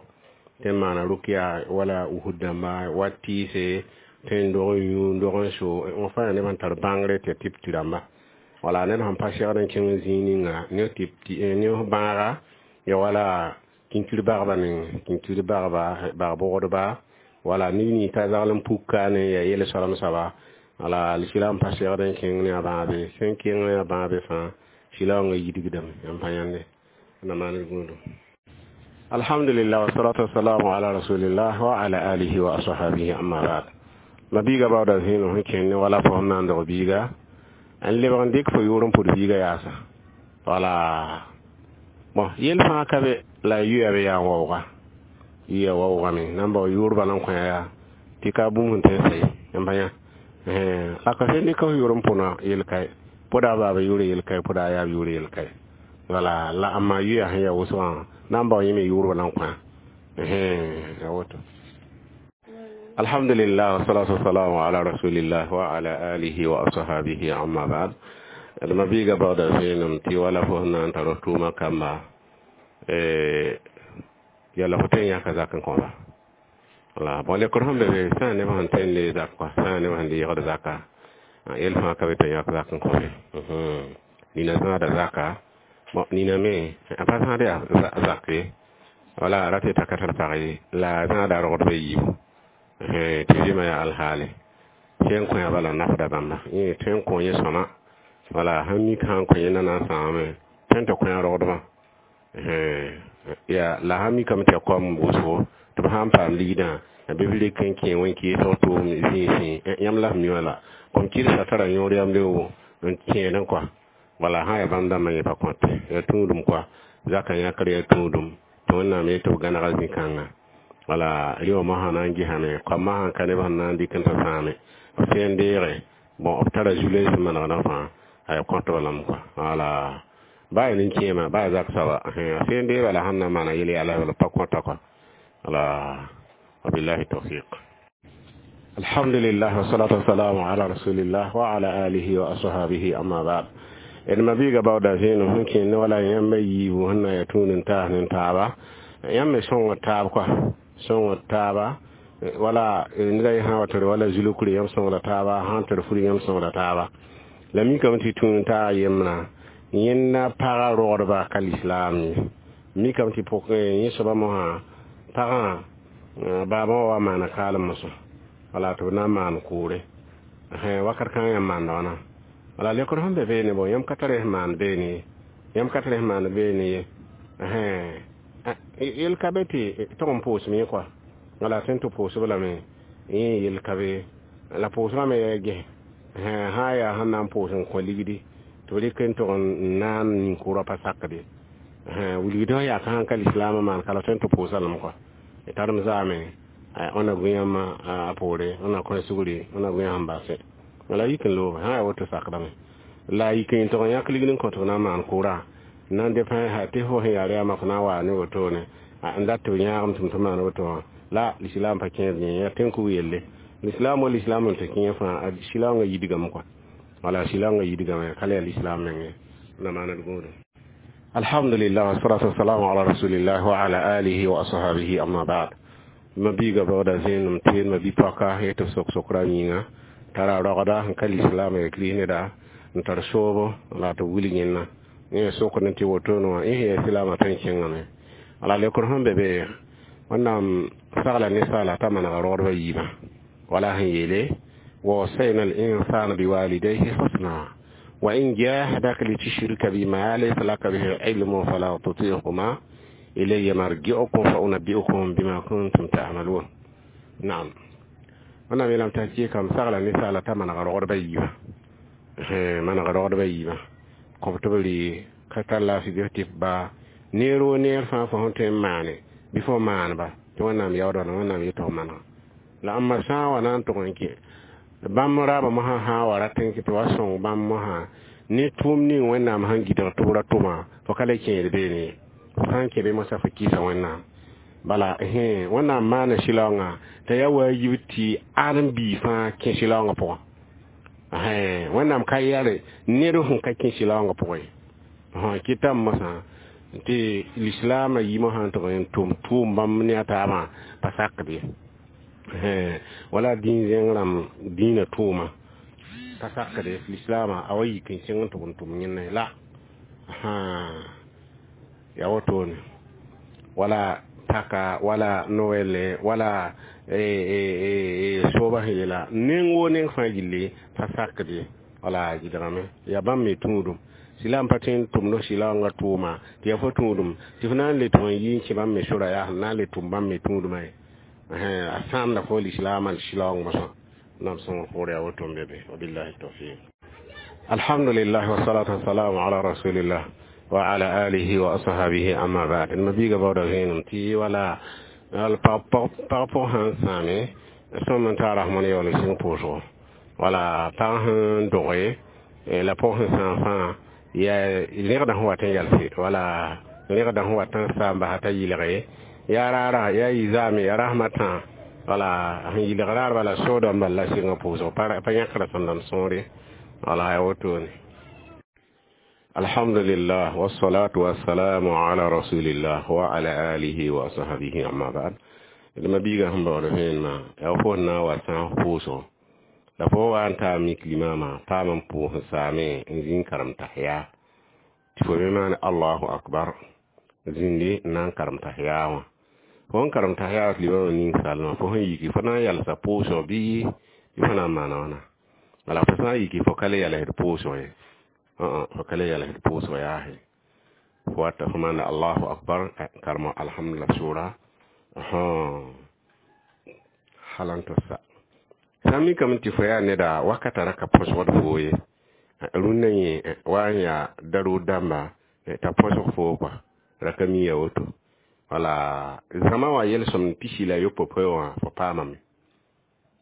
tɩ n maana rʋkya wala usd dãmba wa tɩɩse tõe n dog n yũ n dog n so wã fãa yaa neb sẽn tar bãngre tɩ ya tɩp tɩ rãmba. Wala ned sẽn pa segd n kẽng zĩig ninga ne tɩp ne bãaga ya wala kĩnkir bagba meng kĩnkir bagba bag-bʋgdba wala neb nins t'a zagl n puk kaane ya yel soalem soaba. Wala sɩla n pa segd n kẽng ne a bãabe sẽn kẽng ne a bãabe fãa sɩla wãngã yidgdame yãmb pa yãnde na maan gũudum. Alhamdulillah, wassalatu wassalamu ala rasulillah wa ala alihi wa ashabihi, amma ba'd. Ma biiga baooda zẽenem sẽn kẽnd ne wala fo sẽn na n dog biiga n lebg n dɩk fo yʋʋr n pʋd biiga yaasa. Wala bon yel fãa ka be la yuya be yaa n waooga yuya waoogame na n bao yʋʋr bala n kõ yaa tɩ ka bũmb sẽn tõe n sa ye yãmb pa yã la ka sẽn dɩk f yʋʋr n pʋna yel kae pʋda a baaba yʋʋr yel kae pʋda a yaab yʋʋr yel kae. Wala la amma yuya sẽn yaa wʋsgã na n bao yẽ me yʋʋr bala n kõ ya woto. Alhamdulillah, wassalatu wassalamu ala rasulillah wa ala alihi wa ashabihi, amma ba'd. D ma biiga baooda vẽenem tɩ wala fo sẽn na n tar f tʋʋma kamba yala fo tõe n yãka zak n kõba. Wala bon lekr sẽn be be sã n neb sẽn tõe n le zak kɔa sã n neb sẽn deegd zaka yel fãa ka be tɩ yãk zak n kõbe nina zãada zaka bon nina me a pa zãad yaa zak ye wala a ra tɩ t'a ka tar pag ye la a zãada rogdbã yiibu tɩ vɩɩmã yaa alhaale tõe n kõ ya bala nafda bãmba yẽ tõe n kõ yẽ sõma wala sãn mik sã n kõ yẽ na na n sãamame tõe n tɩ kõ ya rogdbã ya la sãn mikame tɩ ya koam wʋsgo tɩ b sã n paam ligdã bɩ b rek n kẽ wẽn-keesg tʋʋm zĩisẽ yãmb la f mi wã la kom kɩrsa tara yõor yamde n kẽedẽ kɔa wala sã n yaa bãmb dãmbã yẽ pa kõte yaa tũudum kɔa. Zaka yãkr yaa tũudum tɩ Wẽnnaam yet tɩ b gãnega zĩ-kãnga. Wala rɩ wã mosã na n gesame, koamã sãn ka neb sẽn na n dɩk n tɩ sãame b sẽn n deege, bon, b tara zu-loees sẽn manegdã fãa a ya kõtb lame kɔa. Wala baa yaa nin-kẽema, baa yaa zak soaba, a sẽn deeba la sẽn na n maana yel yaa la b pa kõta kɔa. Wala wabillahi tawfiq. Alhamdulillah, wasalatu wassalamu ala rasulillah wa ala alihi wa ashabihi, amma ba'd. D ma-biiga baooda zẽenem sẽn kẽnd wala yãmba yiibu sẽn na yaa tũud n taas ne taaba, yãmb me sõngd taab kɔa, sõngd taaba. Wala neda yẽ sã wa tɩ d wala zulukre, yãmb sõngda taaba, sãn tɩ d furi, yãmb sõngda taaba. La mikame tɩ tũud n taag yembrã, yẽnda paga rogdba ka lislaam ye. Mikame tɩ pʋk yẽ soaba mosã pagã baabã wa wa maana kaalem mosã, wala tɩ b na n maan kʋʋre wakat kãngã yãmb maanda wãna. Wala lekr sẽn be beene, bon, yãmb ka tar sẽn maan beene ye, yãmb ka tar sẽn maan beene ye. Yel ka be tɩ tog n pʋʋsem yẽ kɔa, wala sẽn tɩ pʋʋsb lame yẽ yel ka be la pʋʋsgã me yaa ges sã yaa sẽn na n pʋʋs n kõ ligdi tɩ b rɩk n tog n naan nin-kʋʋrã pa sakde wilgd sẽn yaa ka sãn ka lislaamã maan ka la tõe n tɩ pʋʋsa lame kɔa. Tarem zaame wẽnna gũ yãmb a poore, wẽnna kõ sugri, wẽnna gũ yãmb sẽn basẽ la yik n looge sã yaa woto sakdame la yik n tog n yãk ligd n kõ tɩ b na n maan kʋʋrã n na n depẽ tɩ fo sẽn yaa rɛɛmã fo na n waa ne wotone n dat tɩ b yãagem tɩ m tɩ maan woto wã la lislaam pa kẽed yẽ yaa tẽn-kug yelle. Lislaam wa lislaam n tɩ kẽ fãa silaoongã yidgame kɔa, wala silaoongã yidgame ka le yaa lislaam menge na maana d gũudum. Alhamdulillah, wassalatu wassalamu ala rasulillah wa ala alihi wa ashabihi, amma ba'd. Ma biiga baooda zẽenem tɩ ma bi-poaka yetɩ b sok sokra yĩnga tara rogda n ka lislaam ya kris neda n tar soobo la tɩ wilg yẽnna yẽ sokd tɩ wotone wã yẽ sẽn yaa silaamã tõe n kẽngame. Wala lekr sẽn be be, Wẽnnaam sagla ninsaala t'a manega rogdbã yiibã, wala sẽn yeele: ووصينا الإنسان بوالديه حسنا وإن جاهداك لتشرك بما ليس لك به علم فلا تطيعهما إلي مرجعكم فأنبئكم بما كنتم تعملون. نعم، wẽnnaam yeelame t'a kɩɩkame sagla ninsaala t'a manega rogdbã yiibã, manega rogdbã yiibã kõ tɩ b rɩ ka tar laafɩ bɩ f tɩ ba neer woo neer fãa fo sẽn tõe n maane bɩ fo maaneba tɩ Wẽnnaam yaoodã la Wẽnnaam yetɩ f manega la ãmba sã n wa na n tʋg n kẽ bãmb raabã mosã sã n wa rat n tɩ wa sõng bãmb mosã ne tʋʋm ning Wẽnnaam sẽn gɩdg tɩ b ra tʋma, fo ka le kẽed beene ye. Fo sã n kẽ be mosã fo kɩɩsa Wẽnnaam. Bala Wẽnnaam maana sɩlaoongã t'a yaa waajib tɩ ãdem-biig fãa kẽ sɩlaoongã pʋgã. Wẽnnaam ka yɛre ned sẽn ka kẽ sɩlaoongã pʋgẽ ye. Kɩtame mosã tɩ lislaamã yimã sã n tʋg n tʋm tʋʋm bãmb ne a taabã pa sakd ye, wala dĩin zẽng rãmb dĩinã tʋʋma pa sakde lislaamã a wa yik n sẽng n tʋg n tʋm yẽnna la yaa wotone. Wala paka, wala noɛle, wala sooba sẽn yeela neng woo neng fãa gilli pa sakd ye. Wala gɩdgame yaa bãmb me tũudum silaam pa tõe n tʋmd silaoongã tʋʋma tɩ yaa fo tũudum tɩ f na n le tʋg n yi n kẽ bãmb me sora yaa sẽn na n le tʋm bãmb me tũudmã ye a sãamda fo lislaamã silaoong mosã nam sõngr poor yaa woto n be be. Wabillahi tawfiq. Alhamdulillah, wassalatu wassalamu ala rasulillah wa ala alihi wa ashabihi, amma ba'd. Ma biiga baooda zẽenem tɩ wala pag pʋg sãn sãame sõm n taa rasmõn yaool n sɩng pʋʋsgo, wala pag sẽn doge la pʋg sẽn sãam fãa yaa rẽgdã sẽn wat n yalse, wala rẽgdã sẽn wat n saam basa t'a yɩlge yaa raara yaa yɩ zaame yaa rasmã tã, wala sẽn yɩlg raar bala soodã bal la sɩngã pʋʋsgo pa yãkra sẽn dãmb sõore, wala yaa wotone. Alhamdulillah, wassalatu wassalamu ala rasulillah wa ala alihi wa sahbihi, amma ba'd. D ma biiga sẽn baood vẽenemã yaa fo na n wa sãas pʋʋsgo la fo wa n taa mik limama paam n pʋʋs n saame n zĩ n karem tahiya tɩ fo me maan allahu akbar zĩndi n na n karem tahiya wã. Fo n karem tahiya tɩ limamã ning salmã fo sẽn yiki fo na n yalsa pʋʋsg bɩ fo na n maana wãna. Wala fo sã n yiki fo ka le yalsd pʋʋsg ye, fo ka le yalsd pʋʋsg yaase fo wata fo maanda allahu akbar karema alhamdulillah sʋra hal n tɩ sa sã n mikame tɩ fo yaa neda wakata ra ka põsgd foo ye rũnnã yẽ wa n yaa darʋʋd dãmba t'a põsg foo kɔa. Ra ka mi ya woto. Wala zãma wã yel-sõmd pisi la yopoe wã fo paamame.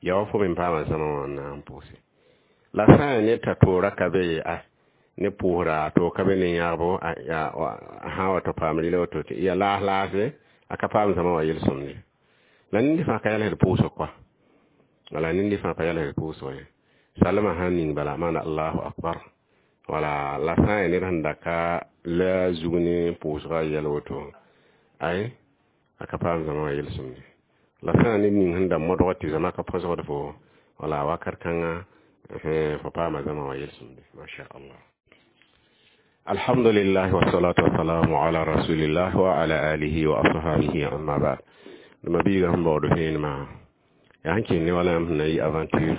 Ya wa fo me paama zãma wã n na n pʋʋse. La sã n yaa ned t'a toora ka be ye a ne pʋʋsra a toog ka be ne yãgbo a sã n wa tɩ paam rɩla woto tɩ ya laas laase a ka paam zãma wã yel-sõmd ye. La ned fãa ka yɛlsd pʋʋsg koa. Wala ned fãa pa yɛlsd pʋʋsg ye. Salmã sãn ning bala maana Allahu akbar. Wala la sã n yaa ned sẽn da ka la zug ne pʋʋsga yɛl woto ay a ka paam zãma wã yel-sõmd ye. La sã n yaa ned ning sẽn da modg tɩ zãma ka põsgd fo wala wakat kãnga fo paama zãma wã yel-sõmde. Masha Allah. Alhamdulillah wassalatu wassalamu ala rasulillah wa ala alihi wa ashabihi amma ba'd. Ma biiga sẽn baood vẽenemã yaa sẽn kẽnd ne wala yãmb sẽn na yɩ aventure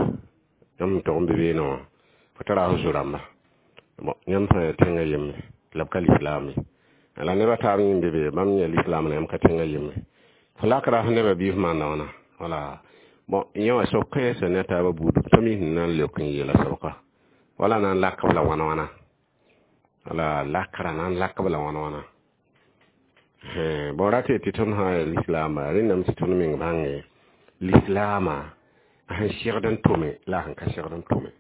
yãmb sẽn tog n be beene wã fo tara f zo-rãmba. Bon, yãmb sã n yaa tẽngã yembre la b ka lislaam ye. La neb a taab yẽ be be bãmb yã lislaam la yãmb ka tẽngã yembre. Fo lakra f nebã bɩ f maanda wãna. Wala bon, yẽ wã sob kãensã ne a taabã buud pa mi sẽn na n leok n yeela sobka. Wala na n lak b la wãna wãna. Wala lakra na n lak b la wãna wãna. Bon, rat tɩ tõnd sã n yaa lislaamba rẽndame tɩ tõnd meng bãnge lislaamã a sẽn segd n tʋme la a sẽn ka segd n tʋme.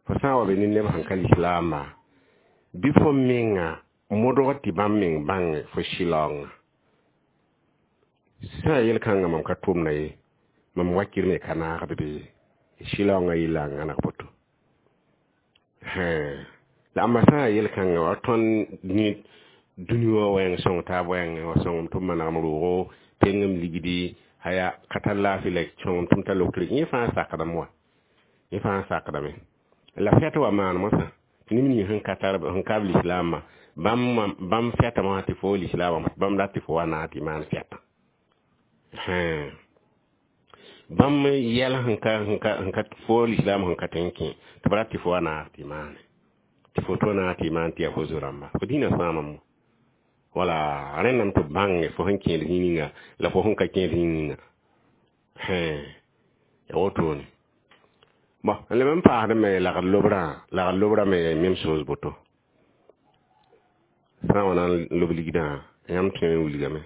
Fo sã n wa be ne neb sẽn ka lislaamba bɩ fo menga modg tɩ bãmb meng bãnge fo sɩlaoongã. Sã n yaa yel-kãngã mam ka tʋmda ye, mam wakir me ka naagd be ye. Sɩlaoongã yella n gãneg boto. La ãmba sã n yaa yel-kãngã wa tõnd ne dũni wã wɛɛng sõng taab wɛɛngẽ wa sõngem tɩ b manegem roogo pengem ligdi haya ka tar laafɩ la sõngem tɩ m tar lokr yẽ fãa sakdame wa. Yẽ fãa sakdame. La fɛt wa maan mosã tɩ neb ning sẽn ka tar sẽn ka b lislaamã bãmb bãmb fɛtame wã tɩ fo lislaamã bãmb rat tɩ fo wa naag tɩ maan fɛtã. Bãmb yɛl sẽn ka sẽn ka sẽn ka fo lislaam sẽn ka tõe n kẽ tɩ b rat tɩ fo wa naag tɩ maane. Tɩ fo to naag tɩ maan tɩ yaa fo zo-rãmba. Fo dĩnã sãamame. Wala rẽndame tɩ b bãnge fo sẽn kẽed zĩig ninga la fo sẽn ka kẽed zĩig ninga. Ya wotone. Bon, n leb n paasd me lagd lobrã, lagd lobrã me yaa même chose boto. Sã n wa na n lob ligdã, yãmb tõe n wilgame.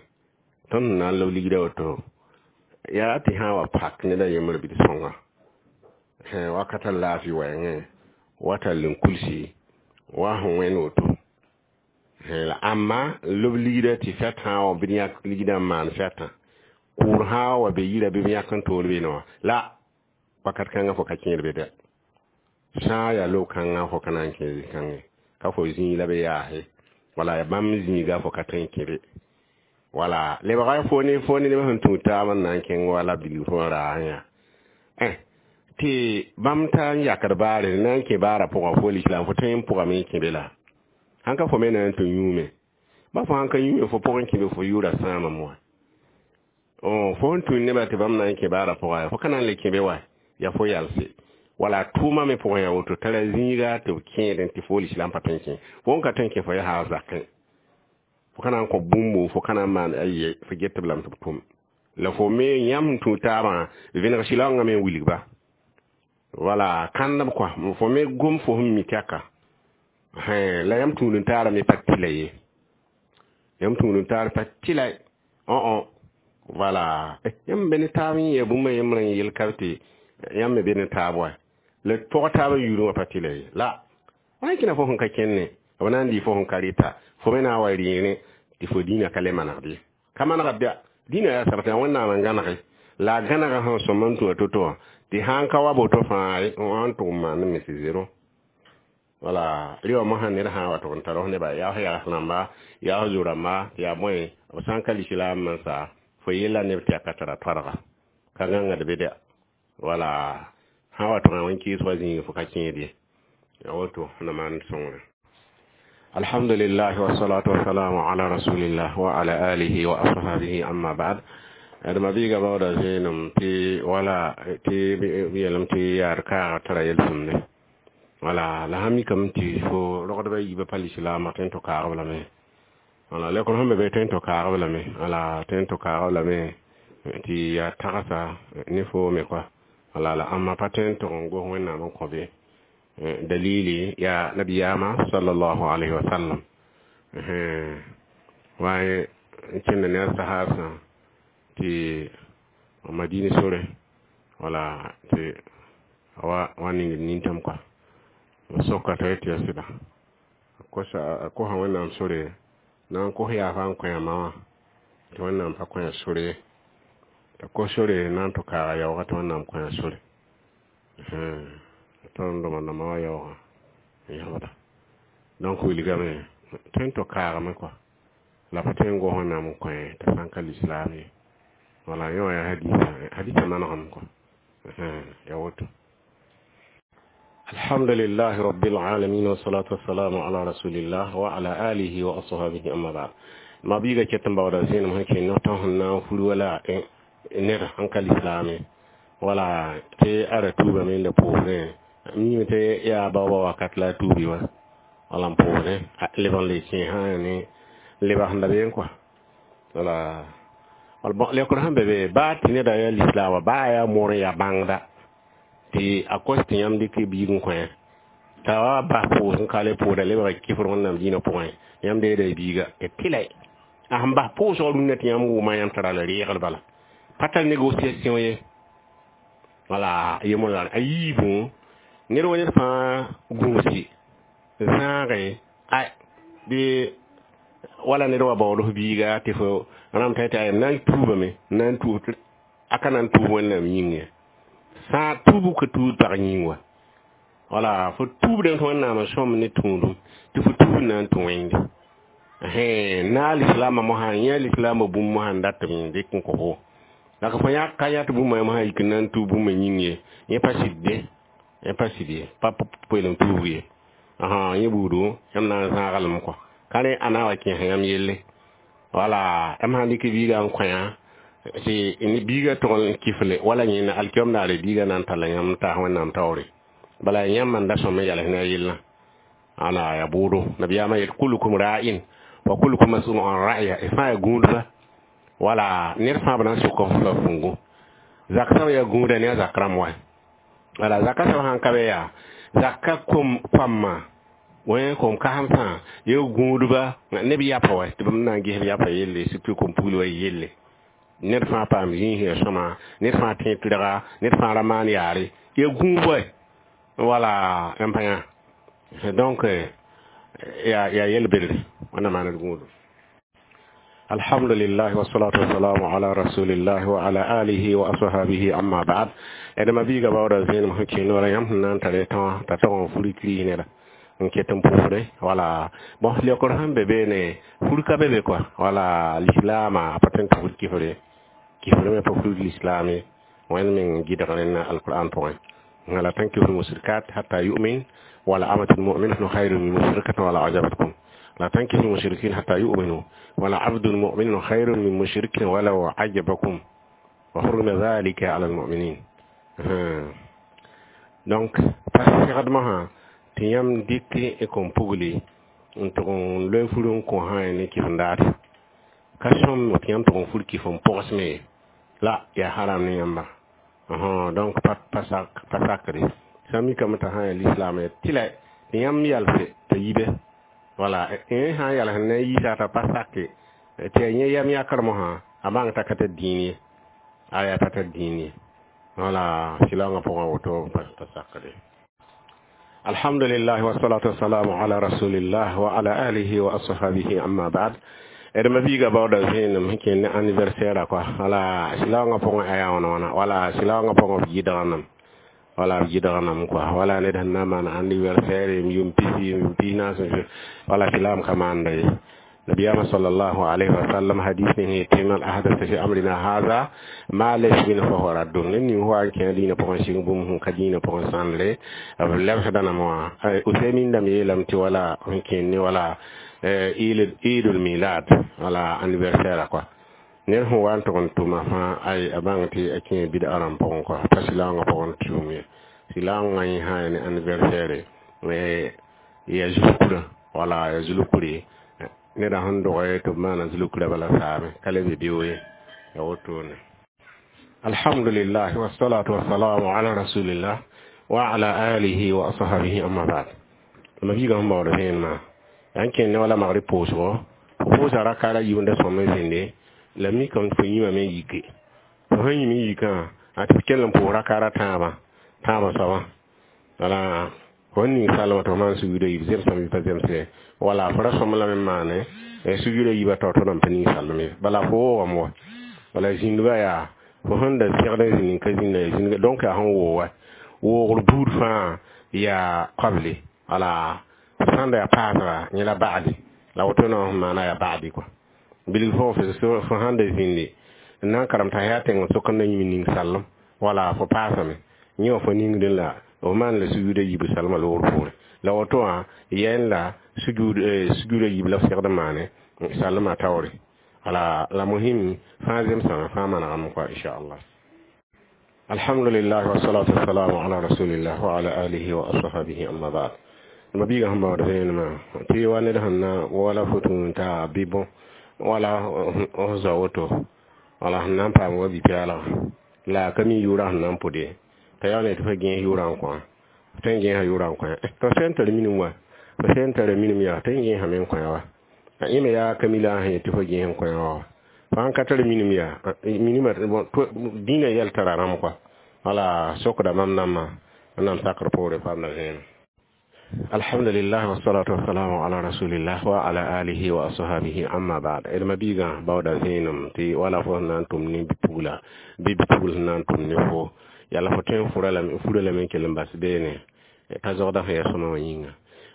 Tõnd sẽn na n lob ligdã woto, yaa tɩ sã n wa pak ned a yembr bɩ d sõnga. Wakata laafɩ wɛɛngẽ, wa tall n kulsi, wa sẽn wẽnd woto. La ãmba lob ligdã tɩ fɛt sã n wa bɩ d yãk ligdã n maan fɛtã, kʋʋr sã n wa be yirã bɩ b yãk n toor beene wã la wakat kãngã fo ka kẽed be dɛ. Sã n yaa lob-kãngã fo ka na n kẽ zĩ-kãngẽ, ka fo zĩig la b yaase. Wala bãmb zĩiga fo ka tõe n kẽ be. Wala lebga fo ne fo ne neb sẽn tũud taab n na n kẽng wala bilg fo n raasẽ yaa. Tɩ bãmb ta n yakd baare na n kẽ baarã pʋgã fo lislaam fo tõe n pʋgame n kẽ be la. Sãn ka fo me na n tɩ yũume. Ba fo sãn ka yũume fo pʋgẽ kẽ be fo yʋʋra sãamame wa. Fo sẽn tũud nebã tɩ bãmb na n kẽ baarã pʋga fo ka na n le kẽ be wa yaa fo yalse. Wala tʋʋma me pʋgẽ yaa woto tara zĩiga tɩ b kẽedẽ tɩ fo lislaam pa tõe n kẽ. Fo n ka tõe n kẽ fo yaa haa zakẽ. Fo ka na n kõ bũmbo fo ka na n maan aye fo get b lame tɩ b tʋm. La fo me yãmb sẽn tũud taabã vẽneg sɩlaoongã me n wilg-ba. Wala kãndb koa fo me gom fo sẽn mi tɛka. La yãmb tũud n taara me pa tɩla ye. Yãmb tũud n taar pa tɩla õ wala yãmb be ne taab n yɛ bũmba yembrã n yel ka tɩ yãmb me be ne taab wa. La pʋg taabã yʋʋrẽ wã pa tɩla ye. La wa kẽna fo sẽn ka kẽnne b na n dɩ fo sẽn ka rɩta fo me na n wa rɩɩrẽ tɩ fo dĩinã ka le manegd ye. Ka manegd ya dĩinã yaa sabtã Wẽnnaam n gãnege la a gãnega sẽn sõm n tũ a to-to wã tɩ sãn ka wa boto fãa n tʋg n maan me tɩ zero. Wala rɩ wã mosã ned sã n wa tʋg n tar f nebã yaa f yags rãmba yaa f zo-rãmba tɩ yaa bõe b sã n ka lislaam n sa fo yella neb tɩ yaa ka tara toadga ka gãngd be dɛ. Wala sã n wa tʋg n wẽn-kɩɩs wa zĩig fo ka kẽed ye. Ya woto na maan sõngre. Alhamdulillah wassalatu wassalamu ala rasulillah wa ala alihi wa ashabihi amma ba'd. D ma biiga baooda zẽenem tɩ wala tɩ b yeelame tɩ yaad kaaga tara yel-sõmde. Wala la sã mikame tɩ fo rogdbã yiibã pa lislaamã tõe n tɩ kaag b lame. Wala lekr sẽn be be tõe n tɩ kaag b lame. Wala tõe n tɩ kaag b lame tɩ yaa tagsa ne fo me koa. Wala la ãmba pa tõe n tʋg n gos Wẽnnaam n kõ be. Dalili yaa nabiyaamã sallallahu alayhi wa sallam. Waaye n kẽnda ne a sahaasã tɩ Madina sore, wala tɩ wa wa ning nintam quoi. Soka t'a yetɩ yaa sɩda kosa a kosa Wẽnnaam sore na n kos yaafa n kõ ma wã tɩ Wẽnnaam pa kõ sore ye t'a kos sore na n tɩ kaaga yaoogã tɩ Wẽnnaam kõ sore tõnd dõma wã yaoogã n yãbda. Donc wilgame tõe n tɩ kaagame quoi, la pa tõe n gos Wẽnnaam n kõ t'a sã n ka lislaam ye. Wala yẽ wã yaa hadisa hadisa manegem quoi, ya woto. الحمد لله رب العالمين والصلاة والسلام على رسول الله وعلى آله وأصحابه أما بعد. Ma biiga ket n baooda zẽenem sẽn kẽ no tõ sẽn na n fur wala ned sẽn ka lislaame wala tɩ a ra tuubame n da pʋʋsdẽ miime tɩ yaa baooba wakat la a tuubi wã wala n pʋʋsdẽ leb n le kẽ sã ne lebg sẽn da beẽ quoi. Wala bon, lekr sẽn be be baa tɩ neda yaa lislaam wa baa yaa moor n yaa bãngda tɩ a kos tɩ yãmb dɩk biig n kõ t'a wa bas pʋʋs n ka le pʋʋda lebga kifr Wẽnnaam dĩinã pʋgẽ yãmb deeda y biiga tɩ tɩla a sẽn bas pʋʋsgã rũnnã tɩ yãmb wʋma yãmb tara la reegr bala pa tar négociation ye. Wala yemla a yiibẽ ned wa ned fãa gũusi zãage a bɩ wala ned wa baood f biiga tɩ fo rãmb t'a tɩ na n tuubame na n tuub a ka na n tuub Wẽnnaam yĩng ye sã tuubu ka tuud pag yĩng wa. Wala fo tuubdẽ tɩ Wẽnnaam n sõm ne tũudum tɩ fo tuub na n tũ wẽnde na lislaamã mosã yẽ lislaamã bũmb mosã n dat n dɩk n kõ fo la ka fo yã ka yãt bũmb mosã yik n na n tuub bũmba yĩng ye yẽ pa sɩd ye yẽ pa sɩd ye pa poelem tuubg ye yẽ buudu yãmb na n zãaglem kɔ ka rẽ a na wa kẽes yãmb yelle. Wala yãmb sãn dɩk biigã n kõ tɩ biigã tʋg n kifle wala yẽna alkiom daare biigã na n talla yãmb taas Wẽnnaam taoore bala yãmb man da sõm n yals ne a yellã ana ya bʋʋdo. Nabiyaamã yet kulukum ra'in wa kulukum mas'ulun an ra'ya y fãa ya gũudba wala ned fãa b na n sʋk f la fungu zak sã ya gũuda ne a zak rãmb wa wala zaka sã sãn ka be yaa zaka kom koamã wẽ kom kasemsã ya gũudba neb yapa wa tɩ b na n ges b yapa yelle surtout kom pugl wa yelle ned fãa paam zĩis ya sõma ned fãa tẽ tɩrga ned fãa ra maan yaare ya gũub wala yãmb pa yã. Donc ya ya yel-bedre wẽnnaam maan d gũudum. Alhamdulillah wassalatu wassalamu ala rasulillah wa ala alihi wa ashabihi amma ba'd. Edma biiga baooda zẽenem sẽn kẽ noorã yãmb sẽn na n tare tã t'a tog n furi kiris neda n ket n pʋʋsde. Wala bon, leokr sẽn be beene fur ka be be quoi. Wala lislaamã a pa tõe n tɩ fur kifre kifr me pa fur lislaam ye Wẽnd meng gɩdg rẽnna alquran pʋgẽ la tankihu lmusrikat hatta yu'min wala amatun mu'minatun khayrun min mushrikatin wala ajabatkum la tankihu lmushrikin hatta yu'minu wala abdun mu'minun khayrun min mushrikin walau ajabakum wa hurrima dhalika ala almu'minin. Donc pa segdmã sã tɩ yãmb dɩk y kom pugli n tʋg n loe fur n kõ sã ne kɩf-n-daad ka sõm tɩ yãmb tʋg n fur kɩf n pʋgsme ye la yaa haram ne yãmba. Donc pa pa sakre sã mikame t'a sã yaa lislaam ya tɩla tɩ yãmb yalse t'a yibe wala yẽ sã n yals ne yiisa t'a pa sake tɩ ya yẽ yam yãkr mosã a bãng t'a ka tar dĩin ye a yaa pa tar dĩin ye wala sɩlaoongã pʋgã woto pa sakre. Alhamdulillah wassalatu wassalamu ala rasulillah wa ala alihi wa ashabihi amma ba'd. Edma biiga baooda zẽenem sẽn kẽnd ne anniversaire quoi. Wala sɩlaoongã pʋgẽ a yaa wãna wãna wala sɩlaoongã pʋgẽ b gɩdgnam wala b gɩdgnam quoi. Wala ned sẽn na n maan anniversaire m yʋm pisi yʋm pis naas wala sɩlaam ka maanda ye. Nabiyama sallallahu alaihi wa sallam hadith ne tɩ man ahdatha fi amrina hadha ma laysa minhu fa huwa raddun ned ning wa n kẽ dĩinã pʋgẽ sɩng bũmb sẽn ka dĩinã pʋgẽ sãndre b lebsda name wã Usaymin dãmb yeelame tɩ wala sẽn kẽnd ne wala idul milad wala anniversaire quoi ned sẽn wa n tʋg n tʋma fãa ay a bãng tɩ a kẽ bɩd-a rãmb pʋgẽ quoi pa sɩlaoongã pʋgẽ tʋʋm ye sɩlaoongã yẽ sã ya ne anniversaire ya zulkurã wala ya zulkure neda sẽn dog tɩ b maana zulkurã bala saame ka le be beoog ye ya wotone. Alhamdulillah wassalatu wassalamu ala rasulillah wa ala alihi wa ashabihi amma ba'd. Ma biiga sẽn baood vẽenemã yan kẽnd ne wala magri pʋʋsgo b Pʋʋsa raka ra yiib n da sõm n zĩnde la mikame tɩ fo yĩmame n yike fo sẽn yĩm n yikã a tɩ f kell n pʋʋs raka ra tãabã tãabã soabã wala fo ning salmã tɩ fo maan sujuuda yiib zemsame bɩ pa zemsde wala fo ra sõm lame n maane sujuuda yiibã taoor tɩ nan pa ning salm ye bala fo woogame wa wala zĩndbã yaa fo sẽn da segd n zĩnd n ka zĩnda zĩndga donc yaa sẽn woog wa woogr buud fãa yaa qabli wala sãn da yaa paasga yẽ la ba'di la woto na sẽn maana yaa ba'di kɔa bilg fo fo sãn da zĩndi n na n karem t'a yaa tẽng sok n na yĩm ning sallem wala fo paasame yẽ wã fo ningdẽ la f maan la sujuuda yiib salmã loogr poorẽ la woto wã yɛɛn la sujuud sujuuda yiib la f segd n maane salmã taoore wala la muhim fãa zemsame fãa manegame kɔa inchallah. Alhamdulillah wassalatu wassalamu ala rasulillah wa ala alihi wa ashabihi amma ba'd. Ma biiga sẽn baood vẽenemã tɩ wa ned sẽn na wala fo tũ t'a bɩ bõ wala f zao woto wala sẽn na n paam wa bi-pɛɛlga la a ka mi yʋʋrã sẽn na n pʋd ye t'a yaa ne tɩ fo gẽes yʋʋrã n kõ f tõe n gẽesa yʋʋrã n kõ tɩ f sẽn tar minim wa f sẽn tara minim yaa tõe n gẽesame n kõ wa yẽ me yaa ka mi la a sẽn yet tɩ fo gẽes n kõ wa fãa ka tar minim yaa minimã dĩinã yɛl tara rãmb kɔa wala sokda mam nambã wẽnnaam sakr poore paamda vẽenem. Alhamdulillah wassalatu wassalamu ala rasulillah wa ala alihi wa ashabihi amma ba'd. D ma biigã baooda vẽenem tɩ wala fo sẽn na n tʋm ne bi-pugla bɩ bi-pugl sẽn na n tʋm ne fo yala fo tõe n fura lame fura lame n kell n bas beene t'a zogda sẽn yaa sõma wã yĩnga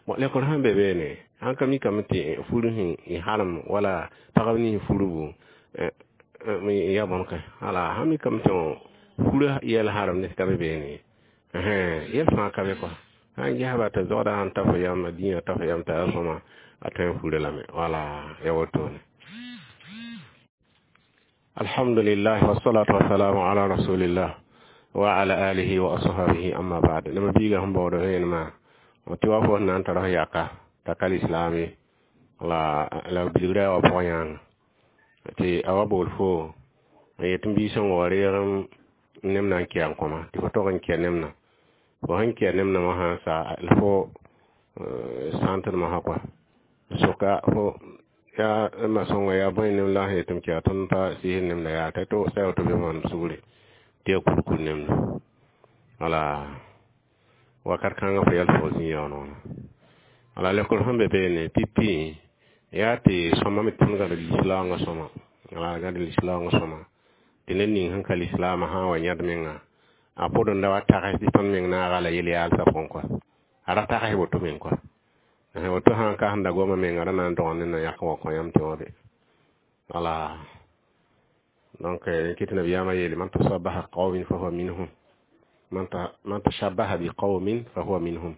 bon lekr sẽn be beene sãn ka mikame tɩ fur sẽn harem wala pagb nins furbu ya bõn ka ala sãn mikame tɩ fura yɛl harem ne ka be beene yɛl fãa ka be kɔa sãn gesba tɩ zogda sãn ta fo yam dĩyã ta fo yam t'a yaa sõma a tõe n fura lame wala ya wotone. Alhamdulillah wassalatu wassalamu ala rasulillah wa ala alihi wa ashabihi amma ba'd. Lama biiga sẽn baood vẽenemã tɩ wa fo sẽn na n tar f yaka t'a ka lislaame la la bilgra yaa wa pʋgã yãanga tɩ a wa bool fo n yet n biig sẽn wa reeg nem na n kɩa n kõma tɩ fo tog n kɩa nemna fo sẽn kɩa nemna wã sã n sa la fo sãntd mosã kɔa soka fo yaa ma sõnga yaa bõe nem la sẽn yet m kɩa tõnd pa sɩɩs nemda yaa t'a to sa woto bɩ maam sugre tɩ yaa kurkur nemda wala wakat kãngã fo yɛl fo zĩ yaoon wãna wala lekr sẽn be beene pipi yaa tɩ sõma me tõnd gãd lislaoongã sõma wala gãd lislaoongã sõma tɩ ned ning sẽn ka lislaamã sã n wa yãd menga a pʋd n da wa tags tɩ tõnd meng naaga la yel-yaalsã pʋgẽ kɔa a ra tags woto meng kɔa woto sãn ka sẽn da goma menga ra na n dõg ne na yãk wa kõ yãmb tɩ wã be wala donc kɩ tɩ nabiyaamã yeele man tashabaha qawmin fahuwa minhum man tashabaha bi qawmin fahuwa minhum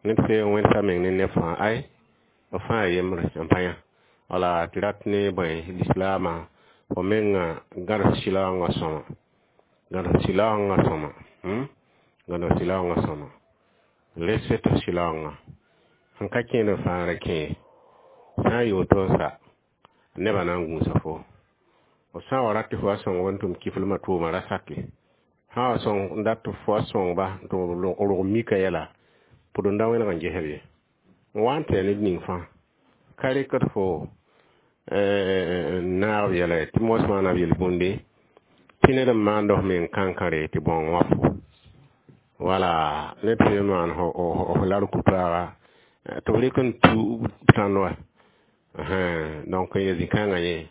ned fee wẽnsa meng ne neb fãa ay b fãa yembre n pa yã wala tɩ rat ne bõe lislaamã fo menga gãds sɩlaoongã sõma gãds sɩlaoongã sõma gãds sɩlaoongã sõma respect sɩlaoongã sẽn ka kẽed fãa ra kẽ sã n yɩ woto n sa nebã na n gũusa fo f sã n wa rat tɩ fo wa sõng n tʋm kiflmã tʋʋma ra sake sã n wa sõng n dat tɩ fo wa sõngba tɩ rog mika yɛla pʋd n da wẽneg n gesb ye n wa n tɩ ned ning fãa ka rekd fo n naag b yɛla ye tɩ mos maana b yel-bũnde tɩ ned n maand f meng kãnkãre tɩ bõong wã fo wala ned tõe n maan f lar ku-paaga tɩ b rɩk n tu tãnd wa donc ya zĩ-kãngã yẽ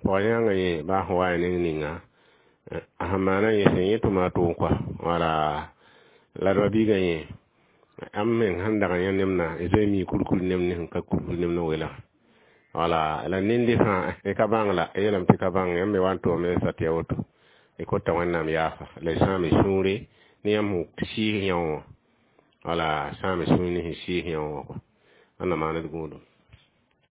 pɔg-yãngã yẽ baa sẽn wa ya neng ninga a sẽn maana yẽ sẽn yẽ tɩ maa tʋʋm kɔa wala la d ba-biigã yẽ am meng sẽn dag n yã nemna zoe mi kurkur nem ne sẽn ka kurkur nem ne welg wala la nende fãa y ka bãng la y yeelame tɩ ka bãng yãmb me wa n tʋʋme sa tɩ ya woto y kota wẽnnaam yaafa la y sãame sũure ne yãmb sẽn sɩɩs yã wã wala sãame sũur ne sẽn sɩɩs yã wã wẽnnaam maan d gũudum.